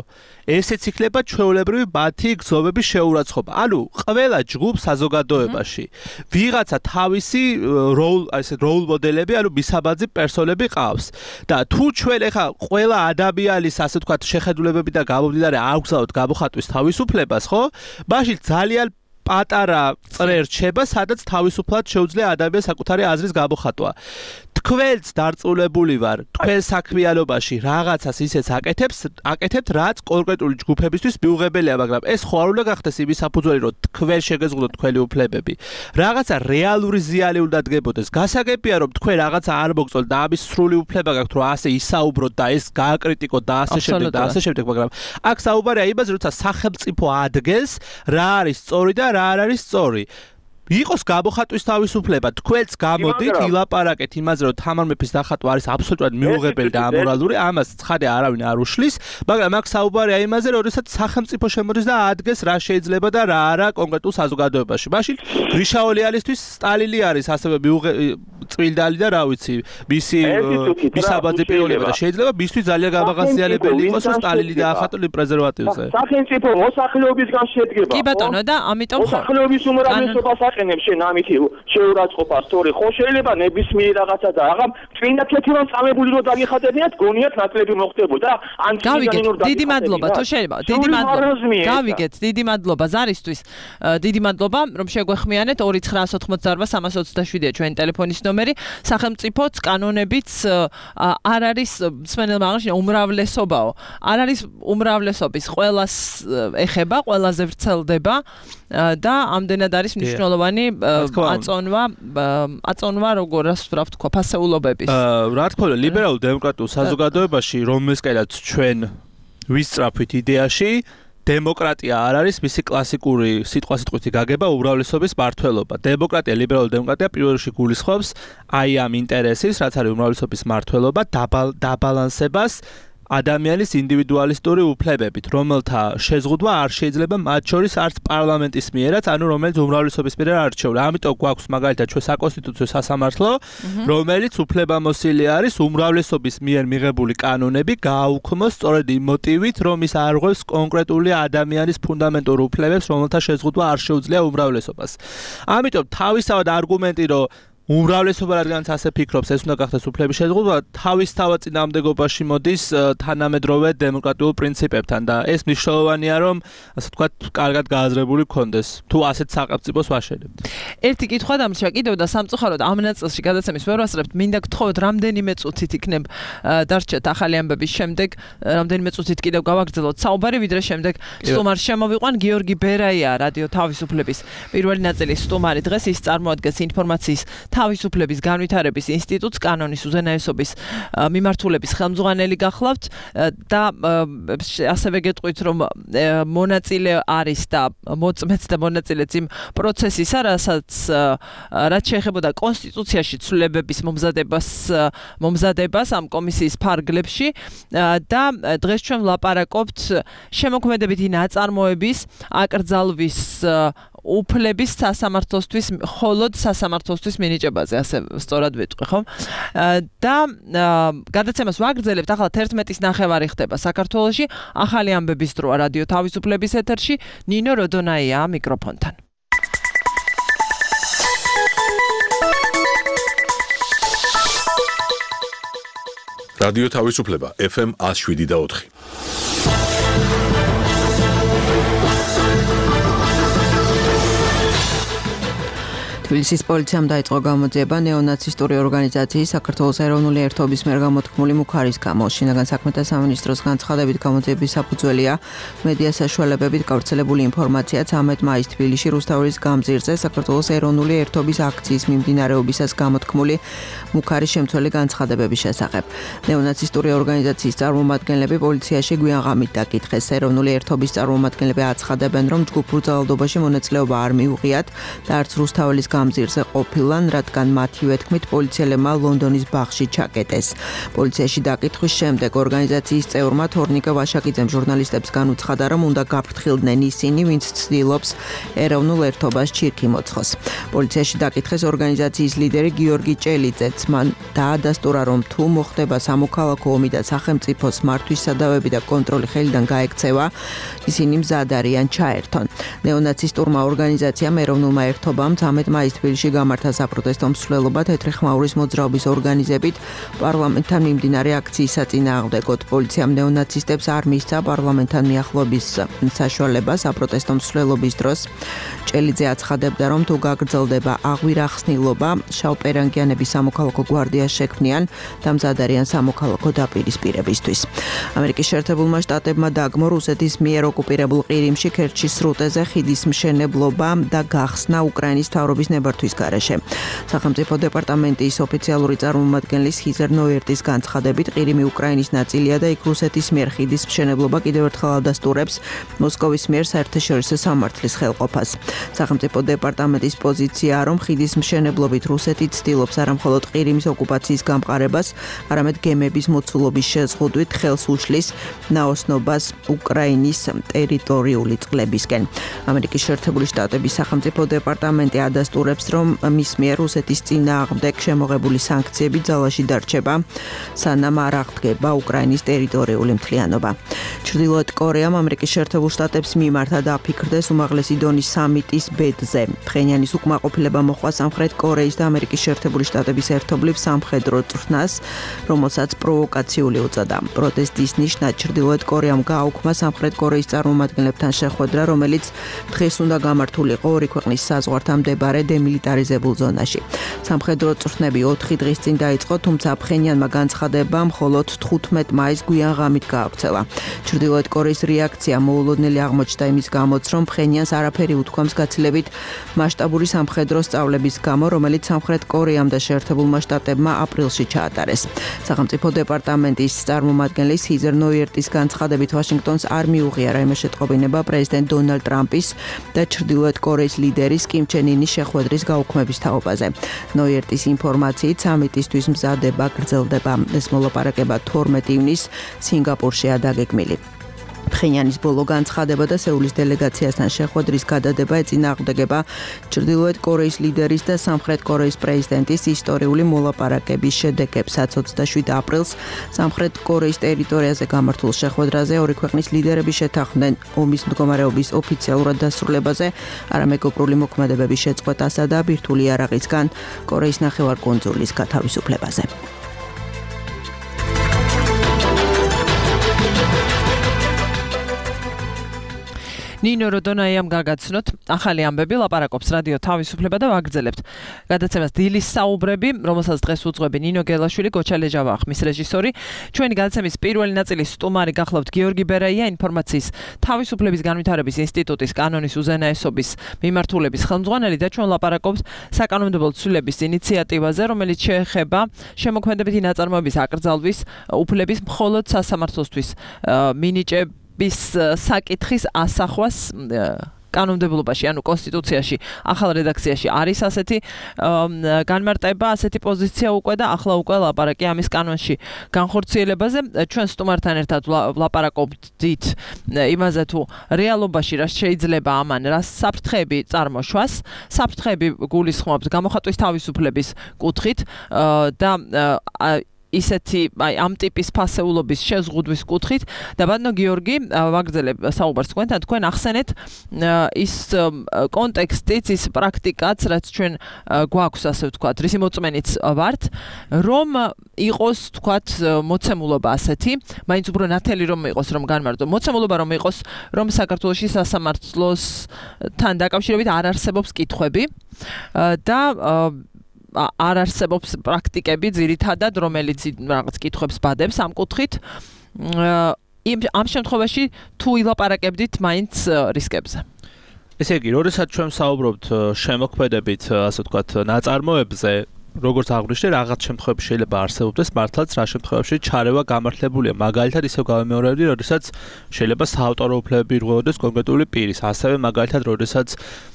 ესეც იქნება ჩვეულებრივი მათი გზობების შეურაცხყოფა. ანუ ყველა ჯგუფ საზოგადოებაში ვიღაცა თავისი როლ, ასე როლ მოდელები, ანუ მისაბაძი პერსონები ყავს. და თუ ჩვენ ეხა ყველა ადამიანის ასე ვთქვათ შეხედულებები და გამომდინარე არ გვგზავნოთ გამოხატვის თავისუფლებას, ხო? მაშინ ძალიან პატარა წრე რჩება, სადაც თავისუფლად შეუძლია ადამიანს საკუთარი აზრის გამოხატვა. თქვენც დარწმუნებული ვარ, თქვენ საქმიანობაში რაღაცას ისეც აკეთებს, აკეთებთ, რაც კონკრეტული ჯგუფებისთვის მიუღებელია, მაგრამ ეს ხო არ უნდა გახდეს იმის საფუძველი, რომ თქვენ შეგეზღუდოთ თქვენი უფლებები. რაღაცა რეალური ზიანი უნდა დგებოდეს. გასაგებია, რომ თქვენ რაღაცა არ მოგწონთ და ამის სრული უფლება გაქვთ, რომ ასე ისაუბროთ და ეს გააკრიტიკოთ და ასე შემდეგ და ასე შემდეგ, მაგრამ აქ საუბარია იმაზე, როცა სახელმწიფო ადგენს, რა არის სწორი და რა არ არის სწორი. იყოს გამოხატვის თავისუფლება, თქვენც გამოდით ილაპარაკეთ იმაზე, რომ თამარ მეფის დახატვა არის აბსოლუტურად მიუღებელი და ამორალური, ამას ცხადია არავინ არ უშლის, მაგრამ აქ საუბარია იმაზე, რომ როდესაც სახელმწიფო შემოდის და ადგენს რა შეიძლება და რა არა კონკრეტულ საზოგადოებაში. მაშინ გრიშაოლიანისთვის სტალინი არის ასევე წმინდანი და რა ვიცი, მისი მისაბაძი პიროვნება და შეიძლება მისთვის ძალიან გამაღაზიანებელი იყოს, რომ სტალინი დაახატო პრეზერვატივზე. სახელმწიფო მოსახლეობისგან შედგება. კი ბატონო და ამიტომ ხო მოსახლეობის უმრავლესობას აყენებს შენ ამითი შეურაცხყოფა სწორი ხო შეიძლება ნებისმიერ რაღაცა და აღარ წინა ქეთევან წამებული რო დაგიხატებინათ გონიათ ნაკლები მოხდებოდა ან გავიგეთ დიდი მადლობა თუ შეიძლება დიდი მადლობა გავიგეთ დიდი მადლობა ზარისთვის დიდი მადლობა რომ შეგვეხმიანეთ ორი ცხრა ოთხმოცდაოთხ სამას ოცდაშვიდია ჩვენი ტელეფონის ნომერი სახელმწიფოც კანონებიც არ არის მსმენელმა აღნიშნა უმრავლესობაო არ არის უმრავლესობის ყველას ეხება ყველაზე ვრცელდება და ამდენად არის მნიშვნელოვანი აწონვა აწონვა როგორ რა ვთქვა ფასეულობების რა თქმა უნდა ლიბერალურ დემოკრატიულ საზოგადოებაში რომელსკენაც ჩვენ ვისწრაფვით იდეაში დემოკრატია არ არის მისი კლასიკური სიტყვა-სიტყვითი გაგება უმრავლესობის მმართველობა. დემოკრატია, ლიბერალური დემოკრატია პირველ რიგში გულისხმობს აი ამ ინტერესის, რაც არის უმრავლესობის მმართველობა, დაბალანსებას ადამიანის ინდივიდუალისტური უფლებებით, რომელთა შეზღუდვა არ შეიძლება მათ შორის არც პარლამენტის მიერაც, ანუ რომელიც უმრავლესობის მიერ არჩეულ. ამიტომ გვაქვს მაგალითად ჩვენ საკონსტიტუციო სასამართლო, რომელიც უფლებამოსილი არის უმრავლესობის მიერ მიღებული კანონები გააუქმოს სწორედ იმ მოტივით, რომ ის არღვევს კონკრეტული ადამიანის ფუნდამენტურ უფლებებს, რომელთა შეზღუდვა არ შეუძლია უმრავლესობას. ამიტომ თავისთავად არგუმენტი, რომ უმრავლესობა რადგანაც ასე ფიქრობს, ეს უნდა გახდეს უფლების შეზღუდვა, თავისთავად წინააღმდეგობაში მოდის თანამედროვე დემოკრატიულ პრინციპებთან და ეს მნიშვნელოვანია, რომ ასე ვთქვათ, კარგად გააზრებული გქონდეს, თუ ასეთ სახელმწიფოს ვაშენებთ. ერთი კითხვა დამრჩა კიდევ და სამწუხაროდ ამ ნაწილში გადაცემის ვერ ვასწრებთ, მინდა გთხოვოთ რამდენიმე წუთით იქნებ დარჩეთ ახალი ამბების შემდეგ, რამდენიმე წუთით კიდევ გავაგრძელოთ საუბარი, ვიდრე შემდეგ სტუმარს შემოვიყვან გიორგი ბერაია, რადიო თავისუფლების პირველი ნაწილის სტუმარი დღეს ის წარმოადგენს ინფორმაციის თავისუფლების განვითარების ინსტიტუტს კანონის უზენაესობის მიმართულების ხელმძღვანელი გახლავთ და ასევე გეტყვით რომ მონაწილე არის და მოწმეც და მონაწილეც იმ პროცესისა, რასაც რაც შეეხებოდა კონსტიტუციაში ცვლილებების მომზადებას მომზადებას ამ კომისიის ფარგლებში და დღეს ჩვენ ვლაპარაკობთ შემოქმედებითი ნაწარმოების აკრძალვის უფლების სასამართლოსთვის, მხოლოდ სასამართლოსთვის მინიჭებაზე, ასე სწორად ვიტყვი, ხო? და გადაცემას ვაგრძელებთ, ახლა თერთმეტის ნახევარი ხდება საქართველოში, ახალი ამბების დროა რადიო თავისუფლების ეთერში, ნინო როდონაია მიკროფონთან. რადიო თავისუფლება ეფ ემ one oh seven და ოთხი. თბილისის პოლიციამ დაიწყო გამოძიება ნეონაცისტური ორგანიზაციის საქართველოს ეროვნული ერთობის მიერ გამოთქმული მუქარის გამო. შინაგან საქმეთა სამინისტროს განცხადებით გამოძიების საფუძველია მედია საშუალებებით გავრცელებული ინფორმაცია ცამეტ მაისს თბილისში რუსთავის გამზირზე საქართველოს ეროვნული ერთობის აქციის მიმდინარეობისას გამოთქმული მუქარის შემცველი განცხადებების შესახებ. ნეონაცისტური ორგანიზაციის წარმომადგენლები პოლიციაში გვიან ღამით დაკითხეს. ეროვნული ერთობის წარმომადგენლები აცხადებენ, რომ ჯგუფურ ძალადობაში მონაწილეობა არ მიუღიათ და არც რუსთავის გამზირზე ყოფილან, რადგან მათივე თქმით პოლიციელებმა ლონდონის ბაღში ჩაკეტეს. პოლიციაში დაკითხვის შემდეგ ორგანიზაციის წევრმა თორნიკე ვაშაკიძემ ჟურნალისტებს განუცხადა, რომ უნდა გაფრთხილდნენ ისინი, ვინც ცდილობს ეროვნულ ერთობას ჩირქი მოცხოს. პოლიციაში დაკითხეს ორგანიზაციის ლიდერი გიორგი ჭელიძეც. მან დაადასტურა, რომ თუ მოხდება სამოქალაქო ომი და სახელმწიფოს მართვის სადავები და კონტროლი ხელიდან გაექცევა, ისინი მზად არიან ჩაერთონ. ნეონაცისტურმა ორგანიზაციამ ეროვნულმა ერთობამ ცამეტ მაისს თბილისში გამართა საპროტესტო მსვლელობა თეთრი ხმაურის მოძრაობის ორგანიზებით პარლამენტთან მიმდინარე აქციის საწინააღმდეგოდ. პოლიციამ ნეონაცისტებს არ მისცა პარლამენტთან მიახლოების საშუალება საპროტესტო მსვლელობის დროს. ჭელიძე აცხადებდა, რომ თუ გაგრძელდება აღვირახსნილობა, შავპერანგიანების სამოქალაქო გვარდიას შექმნიან და მზად არიან სამოქალაქო დაპირისპირებისთვის. ამერიკის შეერთებულმა შტატებმა დაგმო რუსეთის მიერ ოკუპირებულ ყირიმში ქერჩის სრუტეზე ხიდის მშენებლობა და გახსნა უკრაინის მთავრობის ნებართვის გარეშე. სახელმწიფო დეპარტამენტის ოფიციალური წარმომადგენლის ჰიზერ ნოერტის განცხადებით, ყირიმი უკრაინის ნაწილია და იქ რუსეთის მიერ ხიდის მშენებლობა კიდევ ერთხელ ადასტურებს მოსკოვის მიერ საერთაშორისო სამართლის ხელყოფას. სახელმწიფო დეპარტამენტის პოზიციაა, რომ ხიდის მშენებლობით რუსეთი ცდილობს არამხოლოდ ყირიმის ოკუპაციის გამყარებას, არამედ გემების მოცულობის შეზღუდვით ხელს უშლის ნაოსნობას უკრაინის ტერიტორიული წყლებისკენ. ამერიკის შეერთებული შტატების სახელმწიფო დეპარტამენტი ადასტურებს, რომ მის მიერ რუსეთის წინააღმდეგ შემოღებული სანქციები ძალაში დარჩება, სანამ არ აღდგება უკრაინის ტერიტორიული მთლიანობა. ჩრდილოეთ კორეამ ამერიკის შეერთებულ შტატებს მიმართა და აფიქრდეს უმაღლესი დონის სამიტის ბედზე. ფხენიანის უკმაყოფილება მოჰყვა სამხრეთ კორეის და ამერიკის შეერთებული შტატების ერთობლივ სამხედრო წვრთნას, რომელსაც პროვოკაციული უწოდა. პროტესტის ნიშნად ჩრდილოეთ კორეამ გააუქმა სამხრეთ კორეის წარმომადგენლებთან შეხვედრა, რომელიც დღეს უნდა გამართულიყო ორი ქვეყნის საზღვართან მდებარე დემილიტარიზებულ ზონაში. სამხედრო წვრთნები ოთხი დღის წინ დაიწყო, თუმცა ფხენიანმა განცხადება მხოლოდ თხუთმეტ მაისს გვიან ღამით გაავრცელა. ჩრდილოეთ კორეის რეაქცია მოულოდნელი აღმოჩნდა იმის გამოც, რომ ფხენიანს არაფერი უთქვამს გაცილებით მასშტაბური სამხედრო სწავლების გამო, რომელიც სამხრეთ კორეამ და შეერთებულმა შტატებმა აპრილში ჩაატარეს. სახელმწიფო დეპარტამენტის წარმომადგენლის ჰიზერ ნოერტის განცხადებით, ვაშინგტონს არ მიუღია რაიმე შეტყობინება პრეზიდენტ დონალდ ტრამპის და ჩრდილოეთ კორეის ლიდერის კიმ ჩენ ინის შეხვედრის გაუქმების თაობაზე. ნოერტის ინფორმაციით სამიტისთვის მზადება გრძელდება. ეს მოლაპარაკება თორმეტ ივნისს სინგაპურშია დაგეგმილი. ფხენიანის ბოლო განცხადება და სეულის დელეგაციასთან შეხვედრის გადადება ეწინააღმდეგება ჩრდილოეთ კორეის ლიდერის და სამხრეთ კორეის პრეზიდენტის ისტორიული მოლაპარაკების შედეგებსაც. ოცდაშვიდ აპრილს სამხრეთ კორეის ტერიტორიაზე გამართულ შეხვედრაზე ორი ქვეყნის ლიდერები შეთანხმდნენ ომის მდგომარეობის ოფიციალურად დასრულებაზე, არამეგობრული მოქმედებების შეწყვეტასა და ბირთვული იარაღისგან კორეის ნახევარკუნძულის გათავისუფლებაზე. ნინო როდონაიამ გაგაცნოთ ახალი ამბები ლაპარაკობს რადიო თავისუფლება და ვაგრძელებთ გადაცემას დილის საუბრები, რომელსაც დღეს უძღვები ნინო გელაშვილი, გოჩა ლეჟავა ხმის რეჟისორი. ჩვენი გადაცემის პირველი ნაწილის სტუმარი გახლავთ გიორგი ბერაია, ინფორმაციის თავისუფლების განვითარების ინსტიტუტის კანონის უზენაესობის მიმართულების ხელმძღვანელი და ჩვენ ლაპარაკობთ საკანონმდებლო ცვლილების ინიციატივაზე, რომელიც შეეხება შემოქმედებითი ნაწარმოების აკრძალვის უფლების მხოლოდ სასამართლოსთვის მინიჭების საკითხის ასახვას კანონმდებლობაში, ანუ კონსტიტუციაში, ახალ რედაქციაში არის ასეთი განმარტება, ასეთი პოზიცია უკვე და ახლა უკვე ლაპარაკი ამის კანონში განხორციელებაზე. ჩვენ სტუმართან ერთად ლაპარაკობდით იმაზე, თუ რეალობაში რა შეიძლება ამან რა საფრთხეები წარმოშვას. საფრთხეები გულისხმობთ გამოხატვის თავისუფლების კუთხით და ისეთი აი ამ ტიპის ფასეულობის შეზღუდვის კუთხით და ბატონო გიორგი ვაგრძელებ საუბარს თქვენთან, თქვენ ახსენეთ ის კონტექსტიც, ის პრაქტიკაც, რაც ჩვენ გვაქვს, ასე ვთქვათ, რისი მოწმენიც ვართ, რომ იყოს, ვთქვათ, მოცემულობა ასეთი, მაინც უფრო ნათელი რომ იყოს, რომ განმარტო, მოცემულობა რომ იყოს, რომ საქართველოში სასამართლოსთან დაკავშირებით არ არსებობს კითხვები და არ არსებობს პრაქტიკები ძირითადად, რომელიც რაღაც კითხვებს ბადებს ამ კუთხით. ამ შემთხვევაში თუ ილაპარაკებდით მაინც რისკებზე. ესე იგი, როდესაც ჩვენ საუბრობთ შემოქმედებით, ასე ვთქვათ, ნაწარმოებზე, როგორც აღვნიშნე, რაღაც შემთხვევებში შეიძლება არსებობდეს მართლაც რა შემთხვევებში ჩარევა გამართლებულია. მაგალითად, ისევ გავიმეორებდი, როდესაც შეიძლება საავტორო უფლებები ირღვევოდეს კონკრეტული პირის, ასევე მაგალითად, როდესაც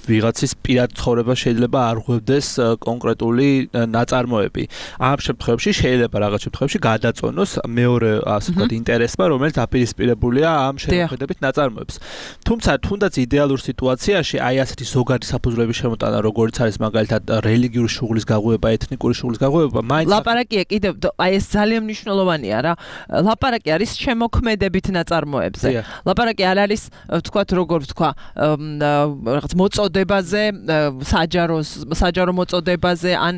ვიღაცის პირად ცხოვრება შეიძლება არ ღვევდეს კონკრეტული ნაწარმოები. ამ შემთხვევებში შეიძლება რაღაც შემთხვევებში გადაწონოს მეორე, ასე ვთქვათ, ინტერესმა, რომელიც აპირისპირებულია ამ შემოქმედებით ნაწარმოებს. თუმცა, თუნდაც იდეალურ სიტუაციაში, აი ასეთი ზოგადი საფუძვლების შემოტანა, როგორც არის მაგალითად რელიგიური შუღლის გაღვევა, ეთნიკური შუღლის გაღვევა, მაინც ლაპარაკია კიდევ აი ეს ძალიან მნიშვნელოვანია რა. ლაპარაკი არის შემოქმედებით ნაწარმოებზე. ლაპარაკი არ არის, ვთქვათ, როგორ ვთქვა, რაღაც მოწოდებაზე, საჯარო საჯარო მოწოდებაზე, ან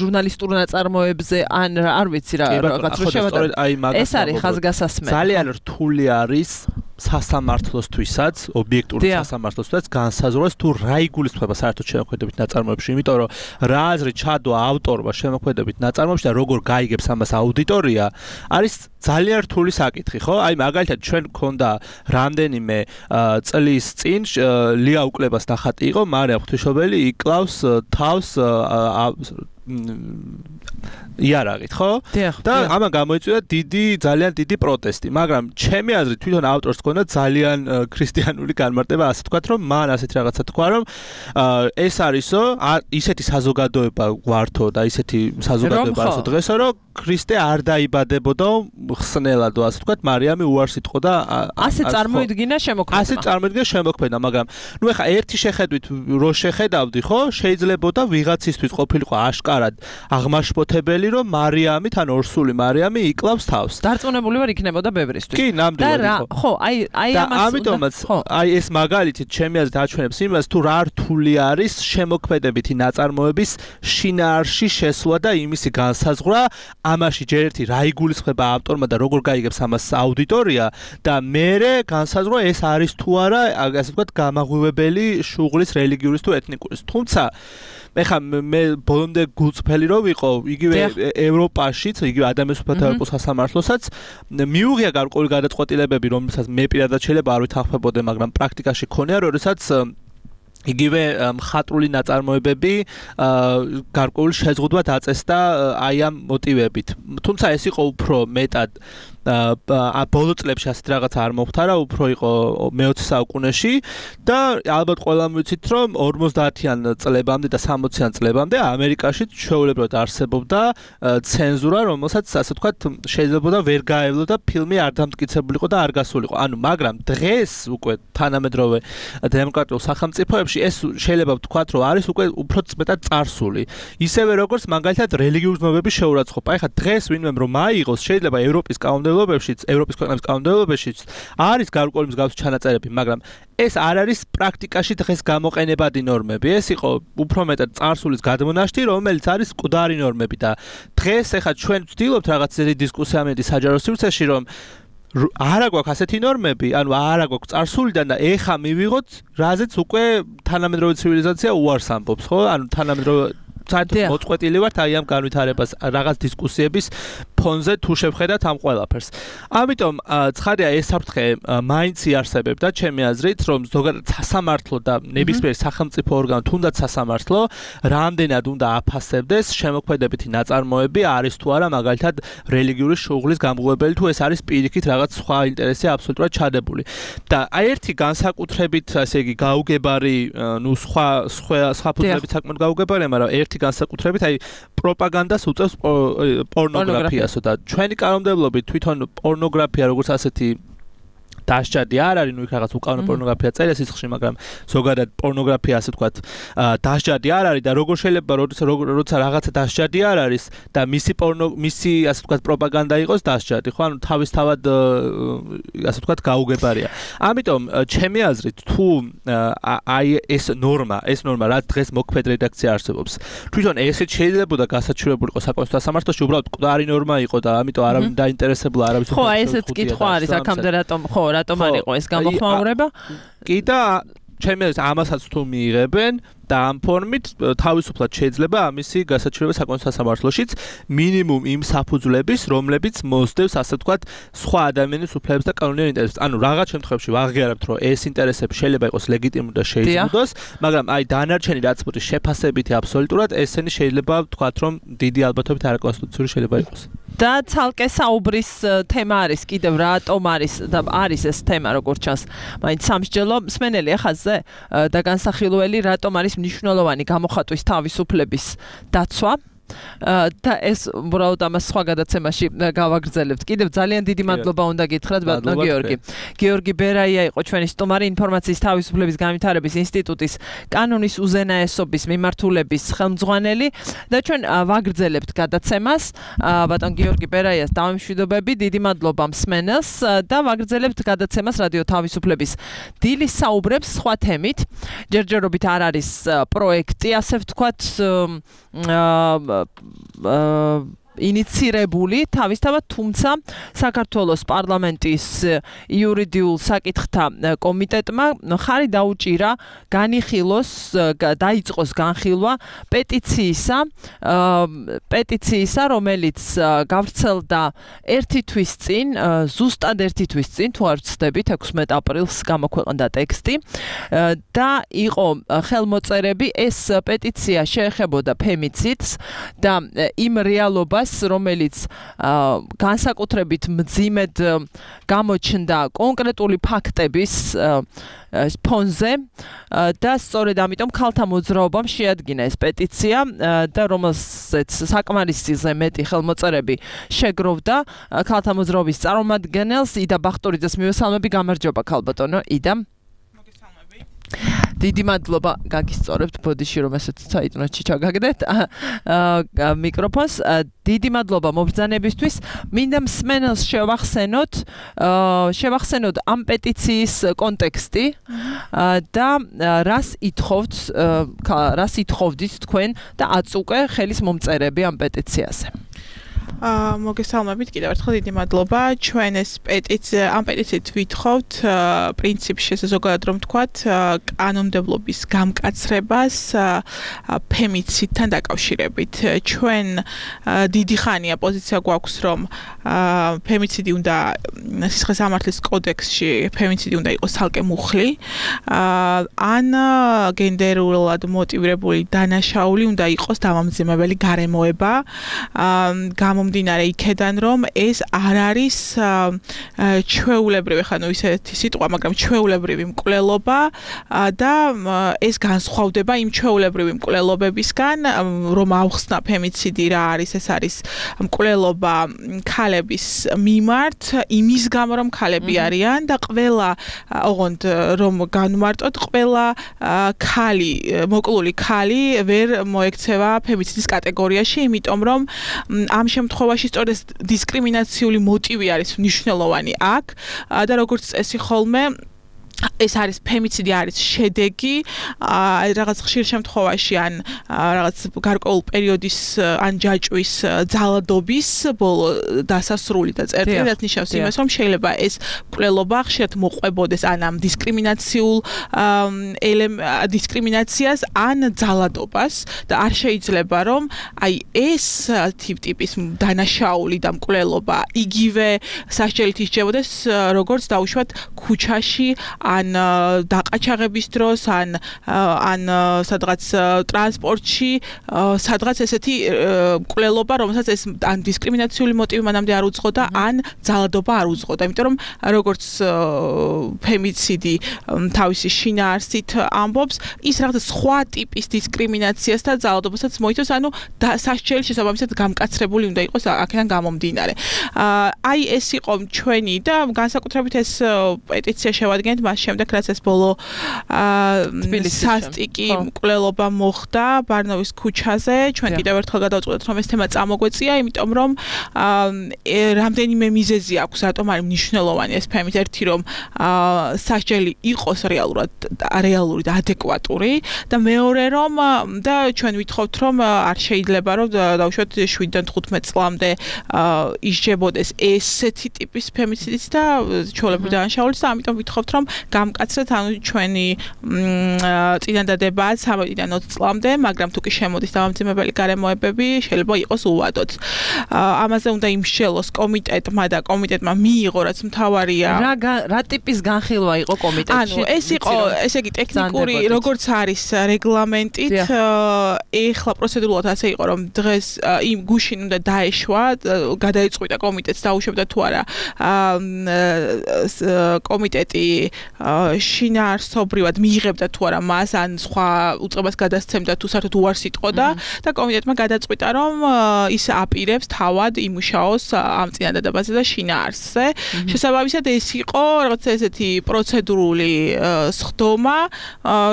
ჟურნალისტურ ნაწარმოებზე, ან არ ვიცი რა, რაღაც რო შევადაროთ. ეს არის ხაზგასასმელი. ძალიან რთული არის სასამართლოსთვისაც, ობიექტურ სასამართლოსთვისაც განსაზღვროს თუ რა იგულისხმება საერთოდ შემოქმედებით ნაწარმოებში, იმიტომ რომ რა აზრი ჩადო ავტორმა შემოქმედებით ნაწარმოებში და როგორ გაიგებს ამას აუდიტორია, არის ძალიან რთული საკითხი, ხო? აი მაგალითად ჩვენ გქონდა რამდენიმე წლის წინ ლია უკლებას ნახატი იყო, მარია ღვთისმშობელი იკლავს თავს იარაღით, ხო? და ამან გამოიწვია დიდი, ძალიან დიდი პროტესტი, მაგრამ ჩემი აზრით თვითონ ავტორს ჰქონდა ძალიან ქრისტიანული განმარტება, ასე თქვათ, რომ მან ასეთ რაღაცა თქვა, რომ ეს არისო, ისეთი საზოგადოება გვართო და ისეთი საზოგადოება არსო დღესო, რომ ქრისტე არ დაიბადებოდა ხსნელადო, ასე თქვათ, მარიამი უარს იტყოდა და ასე წარმოიდგინა შემოქმედა. ასე წარმოიდგინა შემოქმედა, მაგრამ ნუ ეხა ერთი შეხედვით რო შეხედავდი, ხო, შეიძლებოდა ვიღაცისთვის ყოფილიყო აშკარად აღმაშფოთებელი, რომ მარიამი თან ორსული მარიამი იკლავს თავს. დარწმუნებული ვარ იქნებოდა ბევრისთვის. კი, ნამდვილად. და ხო, აი აი ამას ამიტომაც აი ეს მაგალითი ჩემი აზრით აჩვენებს იმას, თუ რა რთული არის შემოქმედებითი ნაწარმოების შინაარსში შესვლა და იმისი განსაზღვრა, ამაში ჯერ ერთი რა იგულისხმება ავტორმა და როგორ გაიგებს ამას აუდიტორია და მერე განსაზღვრა ეს არის თუ არა, ასე ვთქვათ, გამაღვივებელი შუღლის რელიგიურის თუ ეთნიკურის. თუმცა ეხა მე ბოლომდე გულწრფელი რო ვიყო, იგივე ევროპაშიც, იგივე ადამიანის უფლებათა სასამართლოსაც მიუღია გარკვეული გადაწყვეტილებები, რომელსაც მე პირადად შეიძლება არ ვითანხმებოდე, მაგრამ პრაქტიკაში ქონია, როდესაც იგივე მხატვრული ნაწარმოებები გარკვეული შეზღუდვა დაწესდა აი ამ მოტივებით. თუმცა ეს იყო უფრო მეტად ა ბოლო წლებში ასეთ რაღაცა არ მოხდა, უფრო იყო მეოცე საუკუნეში და ალბათ ყველამ ვიცით, რომ ორმოცდაათიან წლებამდე და სამოციან წლებამდე ამერიკაში ჩვეულებრივად არსებობდა ცენზურა, რომელსაც ასე ვთქვათ, შეიძლებოდა ვერ გაევლოდა ფილმი არ დამტკიცებულიყო და არ გასულიყო. ანუ მაგრამ დღეს უკვე თანამედროვე დემოკრატიულ სახელმწიფოებში ეს შეიძლება ვთქვათ, რომ არის უკვე უფრო მეტად წარსული. ისევე როგორც მაგალითად რელიგიური ძმობების შეურაცხყოფა. ეხლა დღეს ვინმე რომ აიღოს, შეიძლება ევროპის კანონმდებლობებშიც, ევროპის ქვეყნების კანონმდებლობებშიც არის გარკვეული მსგავსი ჩანაწერები, მაგრამ ეს არ არის პრაქტიკაში დღეს გამოყენებადი ნორმები. ეს იყო უფრო მეტად წარსულის გადმონაშთი, რომელიც არის მკვდარი ნორმები და დღეს ეხლა ჩვენ ვცდილობთ რაღაც ისეთი დისკუსია ამედი საჯარო სივრცეში, რომ არა გვაქვს ასეთი ნორმები, ანუ არა გვაქვს წარსულიდან და ეხა მივიღოთ, რაზეც უკვე თანამედროვე ცივილიზაცია უარს ამბობს, ხო? ანუ თანამედროვე საერთოდ მოწყვეტილი ვართ აი ამ განვითარებას რაღაც დისკუსიების ფონზე თუ შევხედათ ამ ყველაფერს. ამიტომ ცხადია ეს საფრთხე მაინც იარსებებდა ჩემი აზრით, რომ ზოგადად სასამართლო და ნებისმიერ სახელმწიფო ორგანო, თუნდაც სასამართლო, რამდენად უნდა აფასებდეს შემოქმედებითი ნაწარმოები არის თუ არა მაგალითად რელიგიური შუღლის გამღვებელი თუ ეს არის პირიქით რაღაც სხვა ინტერესი აბსოლუტურად ჩადებული. და აი ერთი განსაკუთრებით ასე იგი გაუგებარი, ნუ სხვა სხვა სხვა ფუძლებით საკმაოდ გაუგებარია, მაგრამ ერთი განსაკუთრებით აი პროპაგანდას უწევს პორნოგრაფიასო და ჩვენი კანონმდებლობით თვითონ პორნოგრაფია როგორც ასეთი დასჯადი არ არის, ნუ იქ რაღაც უკანონო პორნოგრაფია წერია სიცხში, მაგრამ ზოგადად პორნოგრაფია ასე ვთქვათ, დასჯადი არ არის და როგორ შეიძლება როცა რაღაცა დასჯადი არ არის და მისი პორნო მისი ასე ვთქვათ პროპაგანდა იყოს დასჯადი, ხო? ანუ თავისთავად ასე ვთქვათ გაუგებარია. ამიტომ ჩემი აზრით თუ აი ეს ნორმა, ეს ნორმა რაც დღეს მოქმედ რედაქცია არსებობს, თვითონ ესეც შეიძლებოდა გასაჩივრებული იყო საკონსტიტუციო სამართლოში, უბრალოდ მკვდარი ნორმა იყო და ამიტომ არავინ დაინტერესებულა არავის ხო, აი ესეც კითხვა არის აქამდე რატომ ხო რატომ არ იყო ეს გამოხმაურება? კი და ჩემი აზრით ამასაც თუ მიიღებენ და ამ ფორმით თავისუფლად შეიძლება ამისი გასაჩივრება საკონსტიტუციო სამართლოშიც მინიმუმ იმ საფუძვლების, რომლებიც მოსდევს ასე ვთქვათ სხვა ადამიანის უფლებებს და კანონიერ ინტერესებს. ანუ რაღაც შემთხვევებში ვაღიარებთ, რომ ეს ინტერესები შეიძლება იყოს ლეგიტიმური და შეიზღუდოს, მაგრამ აი დანარჩენი რაც მოდის შეფასებითი აბსოლუტურად ესენი შეიძლება ვთქვათ, რომ დიდი ალბათობით არაკონსტიტუციური შეიძლება იყოს. და ცალკე საუბრის თემა არის კიდევ რატომ არის და არის ეს თემა როგორც ჩანს მაინც სამსჯელო მსმენელი ახალზე და განსახილველი რატომ არის მნიშვნელოვანი გამოხატვის თავისუფლების დაცვა და ეს უბრალოდ ამას სხვა გადაცემაში გავაგრძელებთ. კიდევ ძალიან დიდი მადლობა უნდა გითხრათ ბატონო გიორგი. გიორგი ბერაია იყო ჩვენი სტუმარი, ინფორმაციის თავისუფლების განვითარების ინსტიტუტის კანონის უზენაესობის მიმართულების ხელმძღვანელი და ჩვენ ვაგრძელებთ გადაცემას. ბატონ გიორგი ბერაიას დავემშვიდობები, დიდი მადლობა მსმენელს და ვაგრძელებთ გადაცემას რადიო თავისუფლების დილის საუბრებს სხვა თემით. ჯერჯერობით არ არის პროექტი, ასე ვთქვათ, ინიცირებული თავისთავად, თუმცა საქართველოს პარლამენტის იურიდიულ საკითხთა კომიტეტმა ხარი დაუჭირა განიხილოს, დაიწყოს განხილვა პეტიციისა, პეტიციისა, რომელიც გავრცელდა ერთი თვის წინ, ზუსტად ერთი თვის წინ, თუ არ ვცდებით, ექვსმეტ აპრილს გამოქვეყნდა ტექსტი და იყო ხელმოწერები. ეს პეტიცია შეეხებოდა ფემიციდს და იმ რეალობას, რომელიც განსაკუთრებით მძიმედ გამოჩნდა კონკრეტული ფაქტების ფონზე და სწორედ ამიტომ ქალთა მოძრაობამ შეადგინა ეს პეტიცია და რომელზეც საკმარისზე მეტი ხელმოწერები შეგროვდა ქალთა მოძრაობის წარმომადგენელს იდა ბახტურიძეს მივესალმები. გამარჯობა ქალბატონო იდა. დიდი მადლობა გაგისწორებთ ბოდიში რომ ესეც საიტნოში ჩაგაგდეთ მიკროფონს. დიდი მადლობა მობრძანებისთვის. მინდა მსმენელს შევახსენოთ შევახსენოთ ამ პეტიციის კონტექსტი და რას ითხოვთ რას ითხოვდით თქვენ და აწუყე ხელის მომწერები ამ პეტიციაზე. აა მოგესალმებით კიდევ ერთხელ დიდი მადლობა. ჩვენ ეს პეტიცია ამ პეტიციით ვითხოვთ პრინციპში ზოგადად რომ ვთქვათ კანონმდებლობის გამკაცრებას ფემიციდთან დაკავშირებით. ჩვენ დიდი ხანია პოზიცია გვაქვს რომ ფემიციდი უნდა სისხლის სამართლის კოდექსში ფემიციდი უნდა იყოს ცალკე მუხლი ან გენდერულად მოტივირებული დანაშაული უნდა იყოს დამამძიმებელი გარემოება. გამომდინარე იქედან რომ ეს არ არის ჩვეულებრივი ხანუ ისეთი სიტყვა, მაგრამ ჩვეულებრივი მკვლელობა და ეს განსხვავდება იმ ჩვეულებრივი მკვლელობებისგან, რომ ავხსნა ფემიციდი რა არის, ეს არის მკვლელობა ქალების მიმართ, იმის გამო რომ ქალები არიან და ყველა ოღონდ რომ განმარტოთ, ყველა ქალი, მოკლული ქალი ვერ მოექცევა ფემიციდის კატეგორიაში, იმიტომ რომ ამ შემთხვევაში სწორედ დისკრიმინაციული მოტივი არის მნიშვნელოვანი აქ და როგორც წესი ხოლმე ეს არის ფემიციდი არის შედეგი რაღაც ხშირ შემთხვევაში ან რაღაც გარკვეულ პერიოდის ან ჯაჭვის ძალადობის ბოლო დასასრული და წერტილი რაც ნიშნავს იმას რომ შეიძლება ეს მკვლელობა ხშირად მოყვებოდეს ან ამ დისკრიმინაციულ დისკრიმინაციას ან ძალადობას და არ შეიძლება რომ აი ეს ტიპის დანაშაული და მკვლელობა იგივე სასჯელით ისჯებოდეს როგორც დაუშვათ ქუჩაში ან დაყაჩაღების დროს ან ან სადღაც ტრანსპორტში სადღაც ესეთი მკვლელობა რომელსაც ეს ან დისკრიმინაციული მოტივი მანამდე არ უძღოდა ან ძალადობა არ უძღოდა იმიტომ რომ როგორც ფემიციდი თავისი შინაარსით ამბობს ის რაღაც სხვა ტიპის დისკრიმინაციას და ძალადობასაც მოითხოვს ანუ სასჯელი შესაბამისად გამკაცრებული უნდა იყოს აქედან გამომდინარე აი ეს იყო ჩვენი და განსაკუთრებით ეს პეტიცია შევადგენთ მას შემდეგ რაც ეს ბოლო სასტიკი მკვლელობა მოხდა ბარნოვის ქუჩაზე ჩვენ კიდევ ერთხელ გადავწყვეტთ რომ ეს თემა წამოგვეწია იმიტომ რომ რამდენიმე მიზეზი აქვს რატომ არის მნიშვნელოვანი ეს ფემით ერთი რომ სასჯელი იყოს რეალურად რეალური და ადეკვატური და მეორე რომ და ჩვენ ვითხოვთ რომ არ შეიძლება რომ დავუშვათ შვიდიდან თხუთმეტ წლამდე ისჯებოდეს ესეთი ტიპის ფემიციდიც და ჩვეულებრივი დანაშაულიც და ამიტომ ვითხოვთ რომ გამკაცრეთ ანუ ჩვენი წინადადებაა სამოდიდან ოცი წლამდე მაგრამ თუ კი შემოდის დამამძიმებელი გარემოებები შეიძლება იყოს უვადოთ ამაზე უნდა იმსჯელოს კომიტეტმა და კომიტეტმა მიიღო რაც მთავარია რა რა ტიპის განხილვა იყო კომიტეტში ანუ ეს იყო ესე იგი ტექნიკური როგორც არის რეგლამენტით ეხლა პროცედურულად ასე იყო რომ დღეს იმ გუშინ უნდა დაეშვა გადაიწყვიტა კომიტეტს დაუშვებდა თუ არა კომიტეტი შინაარსობრივად მიიღებდა თუ არა მას ან სხვა უწყებას გადასცემდა თუ საერთოდ უარს იტყოდა და კომიტეტმა გადაწყვიტა რომ ის აპირებს თავად იმუშაოს ამ წინადადებაზე და შინაარსზე შესაბამისად ეს იყო რაღაც ესეთი პროცედურული სხდომა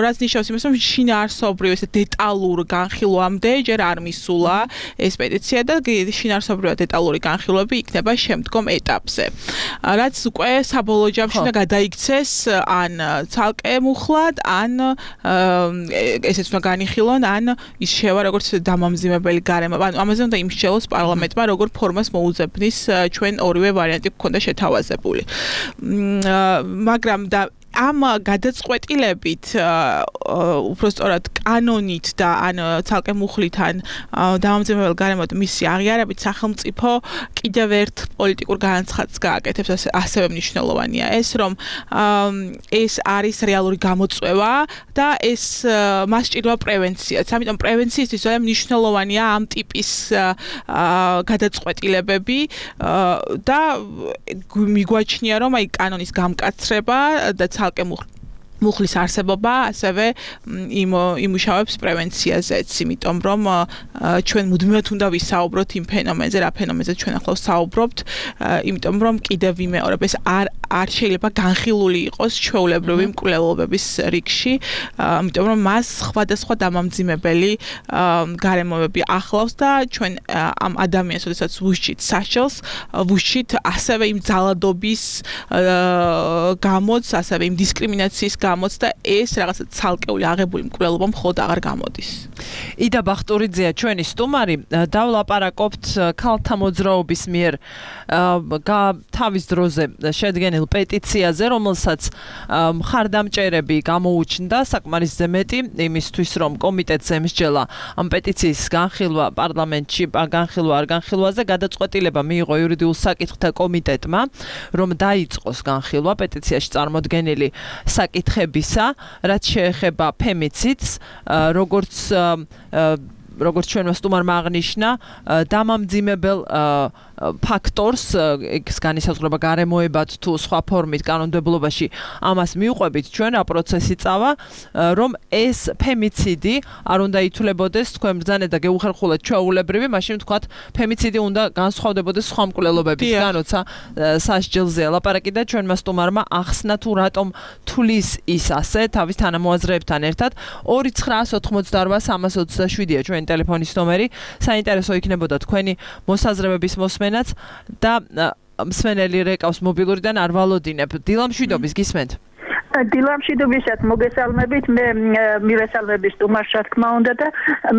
რაც ნიშნავს იმას რომ შინაარსობრივ ესე დეტალურ განხილვამდე ჯერ არ მისულა ეს პეტიცია და შინაარსობრივად დეტალური განხილვები იქნება შემდგომ ეტაპზე რაც უკვე საბოლოო ჯამში უნდა გადაიქცეს ან ცალკე მუხლად ან ესეც უნდა განიხილონ ან ის შევა როგორც დამამძიმებელი გარემოება ანუ ამაზე უნდა იმსჯელოს პარლამენტმა როგორ ფორმას მოუძებნის ჩვენ ორივე ვარიანტი გქონდა შეთავაზებული მაგრამ და ამ გადაწყვეტილებით უბრალოდ კანონით და ან ცალკე მუხლით ან დამამძიმებელ გარემოდ მისი აღიარებით სახელმწიფო კიდევ ერთ პოლიტიკურ განაცხადს გააკეთებს ასევე მნიშვნელოვანია ეს რომ ეს არის რეალური გამოწვევა და ეს მას სჭირდება პრევენციაც ამიტომ პრევენციისთვის ძალიან მნიშვნელოვანია ამ ტიპის გადაწყვეტილებები და მიგვაჩნია რომ აი კანონის გამკაცრება და ცალკე მუხლის არსებობა ასევე იმუშავებს პრევენციაზეც, იმიტომ რომ ჩვენ მუდმივად უნდა ვისაუბროთ იმ ფენომენზე, რა ფენომენზე ჩვენ ახლა ვსაუბრობთ, იმიტომ რომ კიდევ ვიმეორებ ეს არ არ შეიძლება განხილული იყოს ჩვეულებრივი მკვლელობების რიგში, იმიტომ რომ მას სხვადასხვა დამამძიმებელი გარემოებები ახლავს და ჩვენ ამ ადამიანს, როდესაც ვუშჩით სასჯელს, ვუშჩით ასევე იმ ძალადობის გამოც, ასევე იმ დისკრიმინაციის გამოც და ეს რაღაცა ცალკეული აღებული მკვლელობა მხოლოდ აღარ გამოდის. იდა ბახტურიძეა ჩვენი სტუმარი, დავლაპარაკობთ ქალთა მოძრაობის მიერ თავის დროზე შედგენილ პეტიციაზე, რომელსაც მხარდამჭერები გამოუჩნდა საკმარისზე მეტი იმისთვის, რომ კომიტეტს ემსჯელა ამ პეტიციის განხილვა პარლამენტში, განხილვა არ განხილვაზე, გადაწყვეტილება მიიღო იურიდიულ საკითხთა კომიტეტმა, რომ დაიწყოს განხილვა პეტიციაში წარმოდგენილი საკითხებისა, რაც შეეხება ფემიციდს, როგორც როგორც ჩვენმა სტუმარმა აღნიშნა, დამამძიმებელ ფაქტორს, ეს განისაზღვრება გარემოებად თუ სხვა ფორმით კანონმდებლობაში, ამას მიუყვებით ჩვენ რა პროცესი წავა, რომ ეს ფემიციდი არ უნდა ითვლებოდეს თქვენ ბრძანეთ და გეუხერხულეთ ჩვეულებრივი, მაშინ ვთქვათ, ფემიციდი უნდა განსხვავდებოდეს სხვა მკვლელობებისგან, როცა სასჯელზე ლაპარაკი და ჩვენმა სტუმარმა ახსნა თუ რატომ თulis ის ასე თავის თანამოაზრეებთან ერთად ორი ცხრაას ოთხმოცდაორვა სამას ოცდაშვიდია ჩვენი ტელეფონის ნომერი, საინტერესო იქნებოდა თქვენი მოსაზრებების მოსმენაც და მსმენელი რეკავს მობილურიდან არ ვალოდინებ. დილამშვიდობის გისმენთ. დილამშვიდობისად მოგესალმებით, მე მივესალმები სტუმარს, რა თქმა უნდა და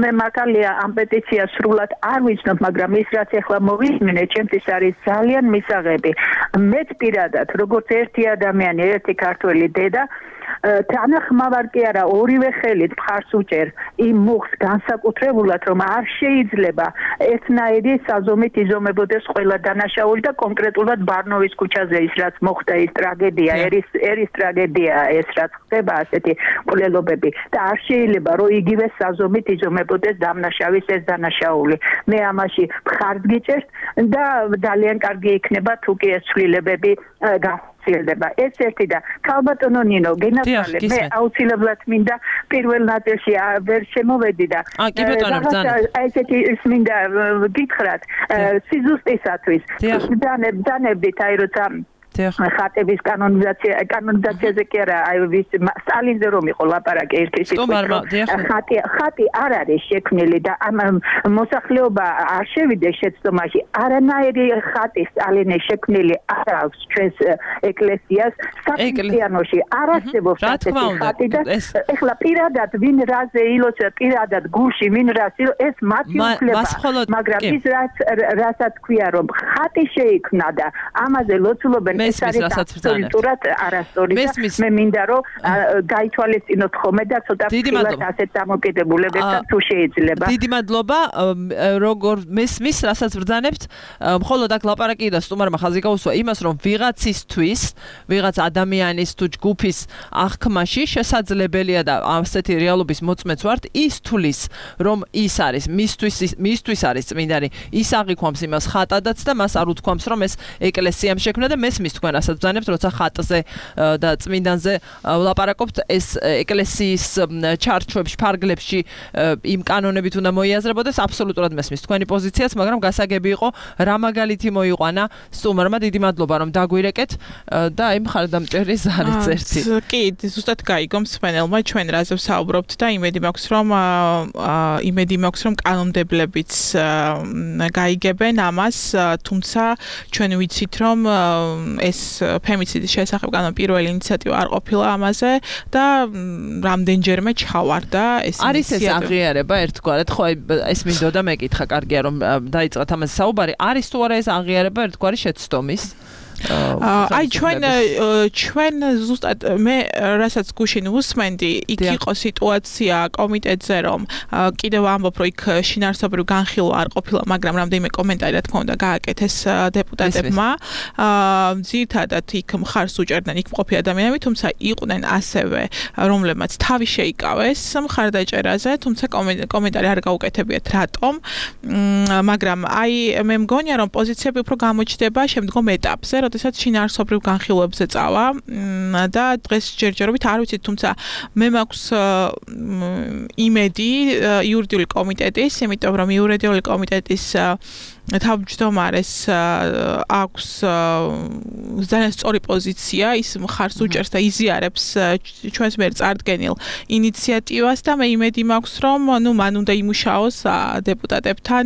მე მართალია ამ პეტიციას სრულად არ ვიცნობ, მაგრამ ის რაც ახლა მოვისმინე, ჩემთვის არის ძალიან მისაღები. მეც პირადად, როგორც ერთი ადამიანი, ერთი ქართველი დედა თანახმავარ კი არა ორივე ხელით მხარს უჭერ იმ მუხს განსაკუთრებულად რომ არ შეიძლება ერთნაირი საზომით იზომებოდეს ყველა დანაშაული და კონკრეტულად ბარნოვის ქუჩაზე ის რაც მოხდა ის ტრაგედია ერის ერის ტრაგედია ეს რაც ხდება ასეთი მკვლელობები და არ შეიძლება რომ იგივე საზომით იზომებოდეს დამნაშავის ეს დანაშაული მე ამაში მხარს გიჭერთ და ძალიან კარგი იქნება თუ კი ეს ცვლილებები გახსილდება ეს ერთი და ქალბატონო ნინო გენათალე მე აუცილებლად მინდა პირველ ნაწილში ვერ შემოვედი და ესეთი მინდა გითხრათ სიზუსტისათვის დანებდით აი როცა ხატების კანონიზაცია კანონიზაციაზე კი არა აი ვის სტალინზე რომ იყო ლაპარაკი ერთი სიტყვით ხატი ხატი არ არის შექმნილი და ამ მოსახლეობა არ შევიდეს შეცდომაში არანაირი ხატი სტალინის შექმნილი არ აქვს ჩვენს ეკლესიას საკრისტიანოში არ არსებობს ასეთი ხატი და ეხლა პირადად ვინ რაზე ილოცავ პირადად გულში ვინ რას ეს მათი უფლება მაგრამ ის რაც რასაც ქვია რომ ხატი შეიქმნა და ამაზე ლოცულობენ ეს არის აბსოლუტურად არასწორი და მე მინდა რომ გაითვალისწინოთ ხოლმე და ცოტა ფილად ასეთ დამოკიდებულებებთან თუ შეიძლება. დიდი მადლობა როგორ მესმის რასაც ბრძანებთ მხოლოდ აქ ლაპარაკი და სტუმარმა ხაზი გაუსვა იმას რომ ვიღაცისთვის ვიღაც ადამიანის თუ ჯგუფის აღქმაში შესაძლებელია და ასეთი რეალობის მოწმეც ვართ ის თulis რომ ის არის მისთვის მისთვის არის წმინდანი ის აღიქვამს იმას ხატადაც და მას არ უთქვამს რომ ეს ეკლესიამ შექმნა და მესმის თქვენ რასაც ბრძანებთ როცა ხატზე და წმინდანზე ვლაპარაკობთ ეს ეკლესიის ჩარჩოებში ფარგლებში იმ კანონებით უნდა მოიაზრებოდეს აბსოლუტურად მესმის თქვენი პოზიციაც მაგრამ გასაგები იყო რა მაგალითი მოიყვანა სტუმარმა დიდი მადლობა რომ დაგვირეკეთ და აი მხარდამჭერის არის ერთი კი ზუსტად გაიგო მსმენელმა ჩვენ რაზე ვსაუბრობთ და იმედი მაქვს რომ იმედი მაქვს რომ კანონმდებლებიც გაიგებენ ამას თუმცა ჩვენ ვიცით რომ ეს ფემიციდის შესახებ განო პირველი ინიციატივა არ ყოფილა ამაზე და რამდენჯერმე ჩავარდა ეს ინიციატივა. არის ეს აღიარება ერთგვარად, ხო ეს მინდოდა მეკითხა, კარგია რომ დაიწყეთ ამაზე საუბარი. არის თუ არა ეს აღიარება ერთგვარი შეცდომის? აი ჩვენ ჩვენ ზუსტად მე რასაც გუშინ უსმენდი იქ იყო სიტუაცია კომიტეტზე რომ კიდევ ამბობ რომ იქ შინაარსობრივ განხილვა არ ყოფილა მაგრამ რამდენიმე კომენტარი რა თქმა უნდა გააკეთეს დეპუტატებმა ძირითადად იქ მხარს უჭერდნენ იქ მყოფი ადამიანები თუმცა იყვნენ ასევე რომლებმაც თავი შეიკავეს მხარდაჭერაზე თუმცა კომენტარი არ გაუკეთებიათ რატომ მაგრამ აი მე მგონია რომ პოზიციები უფრო გამოჩნდება შემდგომ ეტაპზე როდესაც შინაარსობრივ განხილვებზე წავა და დღეს ჯერჯერობით არ ვიცით თუმცა მე მაქვს იმედი იურიდიული კომიტეტის იმიტომ რომ იურიდიული კომიტეტის თავმჯდომარეს აქვს ძალიან სწორი პოზიცია ის მხარს უჭერს და იზიარებს ჩვენს მიერ წარდგენილ ინიციატივას და მე იმედი მაქვს რომ ნუ მან უნდა იმუშაოს დეპუტატებთან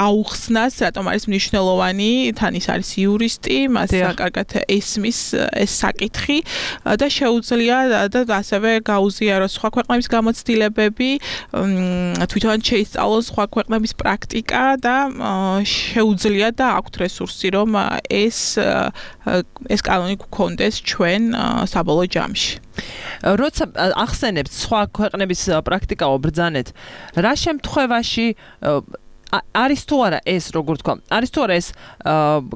აუხსნას რატომ არის მნიშვნელოვანი თან ის არის იურისტი მას კარგად ესმის ეს საკითხი და შეუძლია და ასევე გაუზიაროს სხვა ქვეყნების გამოცდილებები თვითონ შეისწავლოს სხვა ქვეყნების პრაქტიკა და შეუძლია და აქვთ რესურსი რომ ეს ეს კანონი გქონდეს ჩვენ საბოლოო ჯამში. როცა ახსენებთ სხვა ქვეყნების პრაქტიკაო ბრძანეთ, რა შემთხვევაში არის თუ არა ეს როგორ თქვა არის თუ არა ეს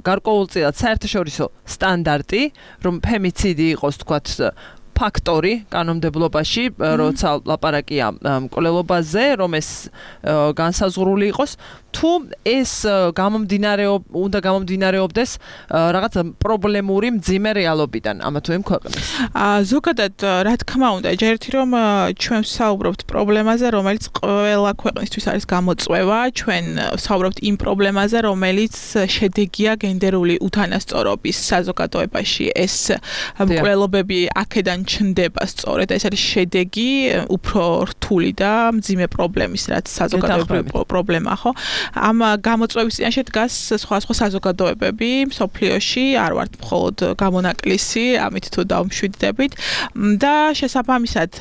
გარკვეულწილად საერთაშორისო სტანდარტი რომ ფემიციდი იყოს თქვათ ფაქტორი კანონმდებლობაში როცა ლაპარაკია მკვლელობაზე რომ ეს განსაზღვრული იყოს თუ ეს გამომდინარეობ უნდა გამომდინარეობდეს რაღაც პრობლემური მძიმე რეალობიდან ამა თუ იმ ქვეყნის ზოგადად რა თქმა უნდა ჯერთ რომ ჩვენ ვსაუბრობთ პრობლემაზე რომელიც ყველა ქვეყნისთვის არის გამოწვევა ჩვენ ვსაუბრობთ იმ პრობლემაზე რომელიც შედეგია გენდერული უთანასწორობის საზოგადოებაში ეს მკვლელობები აქედან ჩნდება სწორედ ეს არის შედეგი უფრო რთული და მძიმე პრობლემის რაც საზოგადოებრივი პრობლემა ხო ამ გამოწვევის წინაშე დგას სხვა სხვა საზოგადოებები მსოფლიოში, არ ვართ მხოლოდ გამონაკლისი, ამით თუ დავმშვიდდებით და შესაბამისად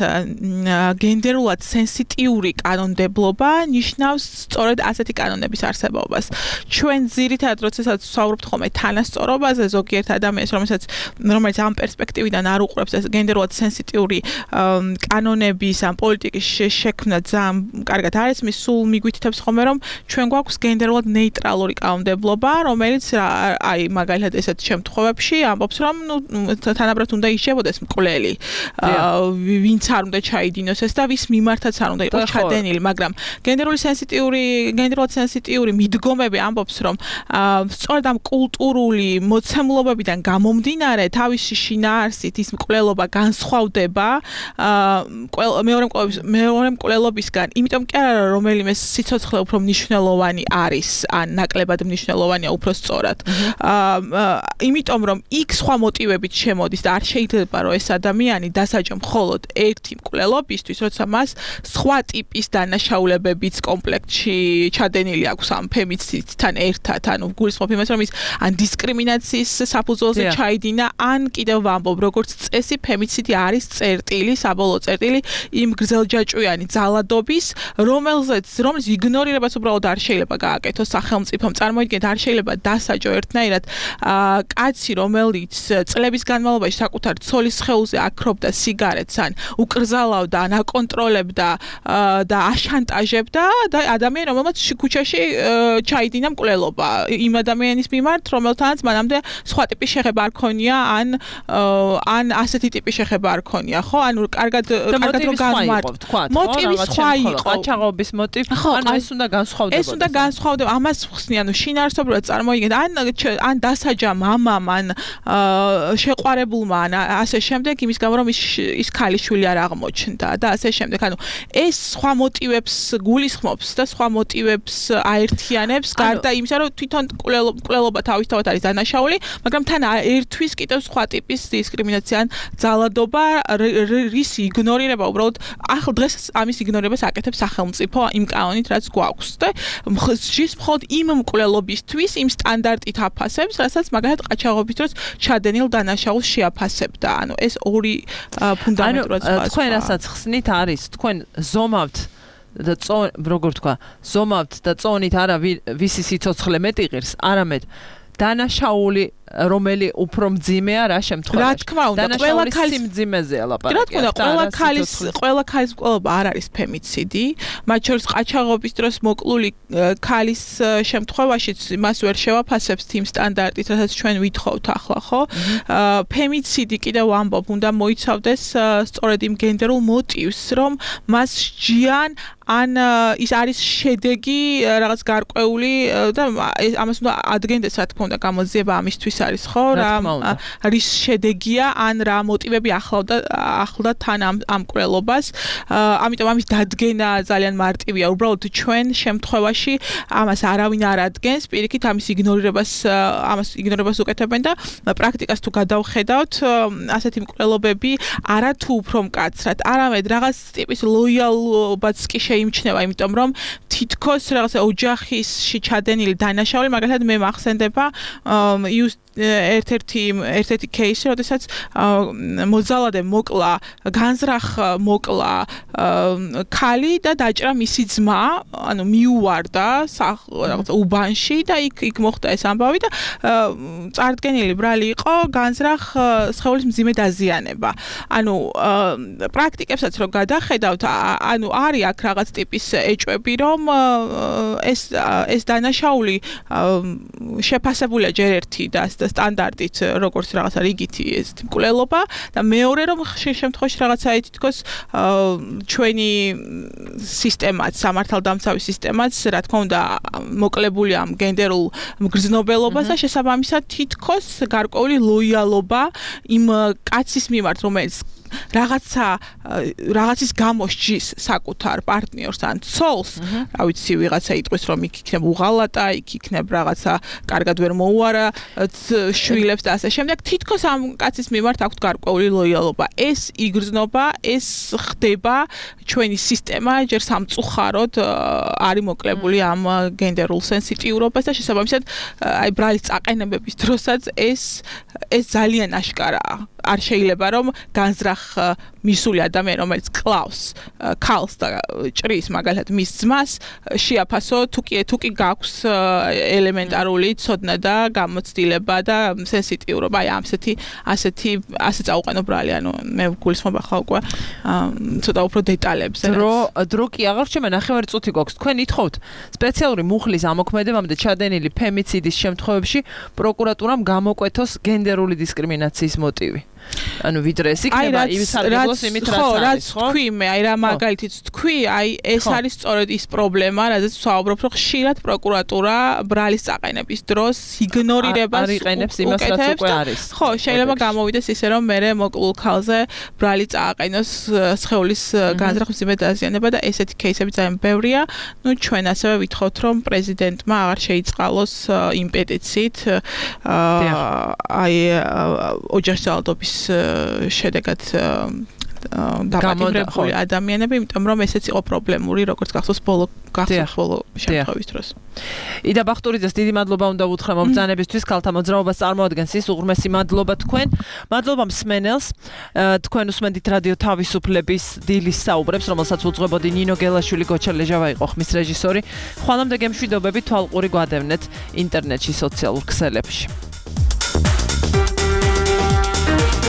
გენდერულად სენსიტიური კანონმდებლობა ნიშნავს სწორედ ასეთი კანონების არსებობას. ჩვენ ძირითადად როდესაც ვსაუბრობთ ხოლმე თანასწორობაზე, ზოგიერთ ადამიანს, რომელსაც რომელიც ამ პერსპექტივიდან არ უყურებს ეს გენდერულად სენსიტიური კანონების ამ პოლიტიკის შექმნა ძალიან კარგად არის, მის სულ მიგვითითებს ხოლმე რომ ჩვენ გვაქვს გენდერულად ნეიტრალური კანონმდებლობა, რომელიც აი მაგალითად ესეთ შემთხვევებში ამბობს რომ ნუ თანაბრად უნდა იშებოდეს მკვლელი, ვინც არ უნდა ჩაიდინოს ეს და ვის მიმართაც არ უნდა იყოს ჩადენილი, მაგრამ გენდერული სენსიტიური, გენდერულად სენსიტიური მიდგომები ამბობს რომ სწორედ ამ კულტურული მოცემულობებიდან გამომდინარე თავისი შინაარსით ის მკვლელობა განსხვავდება მეორე მეორე მკვლელობისგან, იმიტომ კი არა რომელიმე სიცოცხლე უფრო მნიშვნელოვანი არის, ან ნაკლებად მნიშვნელოვანია უფრო სწორად. იმიტომ რომ იქ სხვა მოტივებით შემოდის და არ შეიძლება რომ ეს ადამიანი დასაჯო მხოლოდ ერთი მკვლელობისთვის, როცა მას სხვა ტიპის დანაშაულებებიც კომპლექტში ჩადენილი აქვს ამ ფემიციდთან ერთად, ანუ გულისხმობ იმას რომ ის ან დისკრიმინაციის საფუძველზე ჩაიდინა, ან კიდევ ვამბობ, როგორც წესი ფემიციდი არის წერტილი, საბოლოო წერტილი იმ გრძელჯაჭვიანი ძალადობის, რომელზეც რომლის იგნორირებას უბრალოდ არ შეიძლება გააკეთოს სახელმწიფომ. წარმოიდგინეთ, არ შეიძლება დასაჯო ერთნაირად კაცი, რომელიც წლების განმავლობაში საკუთარ ცოლის სხეულზე აქრობდა სიგარეტს, ან უკრძალავდა, ან აკონტროლებდა და აშანტაჟებდა და ადამიანი, რომელმაც ქუჩაში ჩაიდინა მკვლელობა იმ ადამიანის მიმართ, რომელთანაც მანამდე სხვა ტიპის შეხება არ ქონია, ან ან ასეთი ტიპის შეხება არ ქონია, ხო? ანუ კარგად კარგად რომ განმარტოთ. მოტივი სხვა იყო. ყაჩაღობის მოტივი, ანუ ეს უნდა განსხვავდებოდეს. ეს უნდა განსხვავდება. ამას ხსნი, ანუ შინაარსობრივად წარმოიდგინეთ, ან ან დასაჯა მამამ, ან შეყვარებულმა, ან ასე შემდეგ, იმის გამო რომ ის ის ქალიშვილი არ აღმოჩნდა და ასე შემდეგ. ანუ ეს სხვა მოტივებს გულისხმობს და სხვა მოტივებს აერთიანებს, გარდა იმისა, რომ თვითონ მკვლელობა თავისთავად არის დანაშაული, მაგრამ თან ერთვის კიდევ სხვა ტიპის დისკრიმინაცია ან ძალადობა, რის იგნორირება უბრალოდ ახლა დღეს ამის იგნორირებას აკეთებს სახელმწიფო იმ კანონით, რაც გვაქვს და ჟის მხოლოდ იმ მკვლელობისთვის იმ სტანდარტით აფასებს, რასაც მაგალითად ყაჩაღობის დროს ჩადენილ დანაშაულს შეაფასებდა. ანუ ეს ორი ფუნდამენტურად სხვა. ანუ თქვენ რასაც ხსნით არის, თქვენ ზომავთ და წონ, როგორ თქვა, ზომავთ და წონით არა ვისი სიცოცხლე მეტი ღირს, არამედ დანაშაული რომელი უფრო მძიმეა რა შემთხვევაში. რა თქმა უნდა, ყველა ქალის სიმძიმეზეა ლაპარაკი. რა თქმა უნდა, ყველა ქალის ყველა ქალის მკვლელობა არ არის ფემიციდი, მათ შორის ყაჩაღობის დროს მოკლული ქალის შემთხვევაშიც მას ვერ შევაფასებს იმ სტანდარტით, რასაც ჩვენ ვითხოვთ ახლა, ხო? ფემიციდი კიდევ ვამბობ, უნდა მოიცავდეს სწორედ იმ გენდერულ მოტივს, რომ მას სჯიან ან ის არის შედეგი რაღაც გარკვეული და ამას უნდა ადგენდეს რა თქმა უნდა გამოძიება ამისთვის არის ხო რა რის შედეგია ან რა მოტივები ახლავდა ახლდა თან ამ ამ კვლელობას ამიტომ ამის დადგენა ძალიან მარტივია უბრალოდ ჩვენ შემთხვევაში ამას არავინ არ ადგენს პირიქით ამის იგნორირებას ამას იგნორირებას უკეთებენ და პრაქტიკას თუ გადავხედავთ ასეთი მკვლელობები არა თუ უფრო მკაცრად არამედ რაღაც ტიპის ლოიალობაც კი შეიმჩნევა იმიტომ რომ თითქოს რაღაც ოჯახისში ჩადენილი დანაშაული მაგალითად მე მახსენდება ერთ-ერთი ერთ-ერთი кейსი, როდესაც მოძალადე მოკლა, განზრახ მოკლა ქალი და დაჭრა მისი ძმა, ანუ მიუვარდა რაღაც უბანში და იქ იქ მოხდა ეს ამბავი და წარდგენილი ბრალი იყო განზრახ სხეულის მძიმე დაზიანება. ანუ პრაქტიკებსაც რო გადახედავთ, ანუ არის აქ რაღაც ტიპის ეჭვები, რომ ეს ეს დანაშაული შეფასებულია ჯერ ერთი და სტანდარტით როგორც რაღაცა რიგითი ეს მკვლელობა და მეორე რომ ხშირ შემთხვევაში რაღაცა თითქოს ჩვენი სისტემაც სამართალდამცავი სისტემაც რა თქმა უნდა მოკლებული ამ გენდერულ მგრძნობელობას და შესაბამისად თითქოს გარკვეული ლოიალობა იმ კაცის მიმართ რომელიც რაღაცა რაღაცის გამო სჯის საკუთარ პარტნიორს ან ცოლს, რა ვიცი, ვიღაცა იტყვის რომ იქ იქნებ უღალატა, იქ იქნებ რაღაცა კარგად ვერ მოუარა შვილებს და ასე შემდეგ თითქოს ამ კაცის მიმართ აქვს გარკვეული ლოიალობა ეს იგრძნობა ეს ხდება ჩვენი სისტემა ჯერ სამწუხაროდ არის მოკლებული ამ გენდერულ სენსიტიურობას და შესაბამისად აი ბრალის წაყენებების დროსაც ეს ეს ძალიან აშკარაა არ შეიძლება რომ განზრახ მისული ადამიანი რომელიც კლავს ქალს და ჭრის მაგალითად მის ძმას შეაფასო თუ კი თუ კი გაქვს ელემენტარული ცოდნა და გამოცდილება და სენსიტიურობა აი ასეთი ასეთი ასე წაუყენო ბრალი ანუ მე გულისხმობ ახლა უკვე ცოტა უფრო დეტალებზე დრო დრო კი აღარ რჩება ნახევარი წუთი გვაქვს თქვენ ითხოვთ სპეციალური მუხლის ამოქმედებამდე ჩადენილი ფემიციდის შემთხვევებში პროკურატურამ გამოკვეთოს გენდერული დისკრიმინაციის მოტივი ანუ ვიდრე ეს იქნება ის სარგებლოს იმით რაც არის ხო? თქვი მე აი რა მაგალითიც თქვი აი ეს არის სწორედ ის პრობლემა რადგან ვსაუბრობ რომ ხშირად პროკურატურა ბრალის წაყენების დროს იგნორირებას არიყენებს იმას რაც უკვე არის ხო შეიძლება გამოვიდეს ისე რომ მე მოკლულ ქალზე ბრალი წააყენოს სხეულის განზრახვის მძიმე დაზიანება და ესეთი кейსები ძალიან ბევრია ნუ ჩვენ ასევე ვითხოვთ რომ პრეზიდენტმა აღარ შეიწყალოს იმ პეტიციით აი ოჯახის ძალადობის შედეგად დაპატიმრებული ადამიანები, იმიტომ რომ ესეც იყო პრობლემური, როგორც გახსოვს ბოლო გახსოვს ბოლო შემთხვევის დროს. იდა ბახტურიძეს დიდი მადლობა უნდა ვუთხრა მომბრძანებისთვის, ქალთა მოძრაობას წარმოადგენს ის უღრმესი მადლობა თქვენ. მადლობა მსმენელს. თქვენ უსმენთ რადიო თავისუფლების დილის საუბრებს, რომელსაც უძღვებოდი ნინო გელაშვილი, გოჩა ლეჟავა იყო ხმის რეჟისორი. ხვალამდე გემშვიდობები თვალყური გვადევნეთ ინტერნეტში, სოციალურ ქსელებში.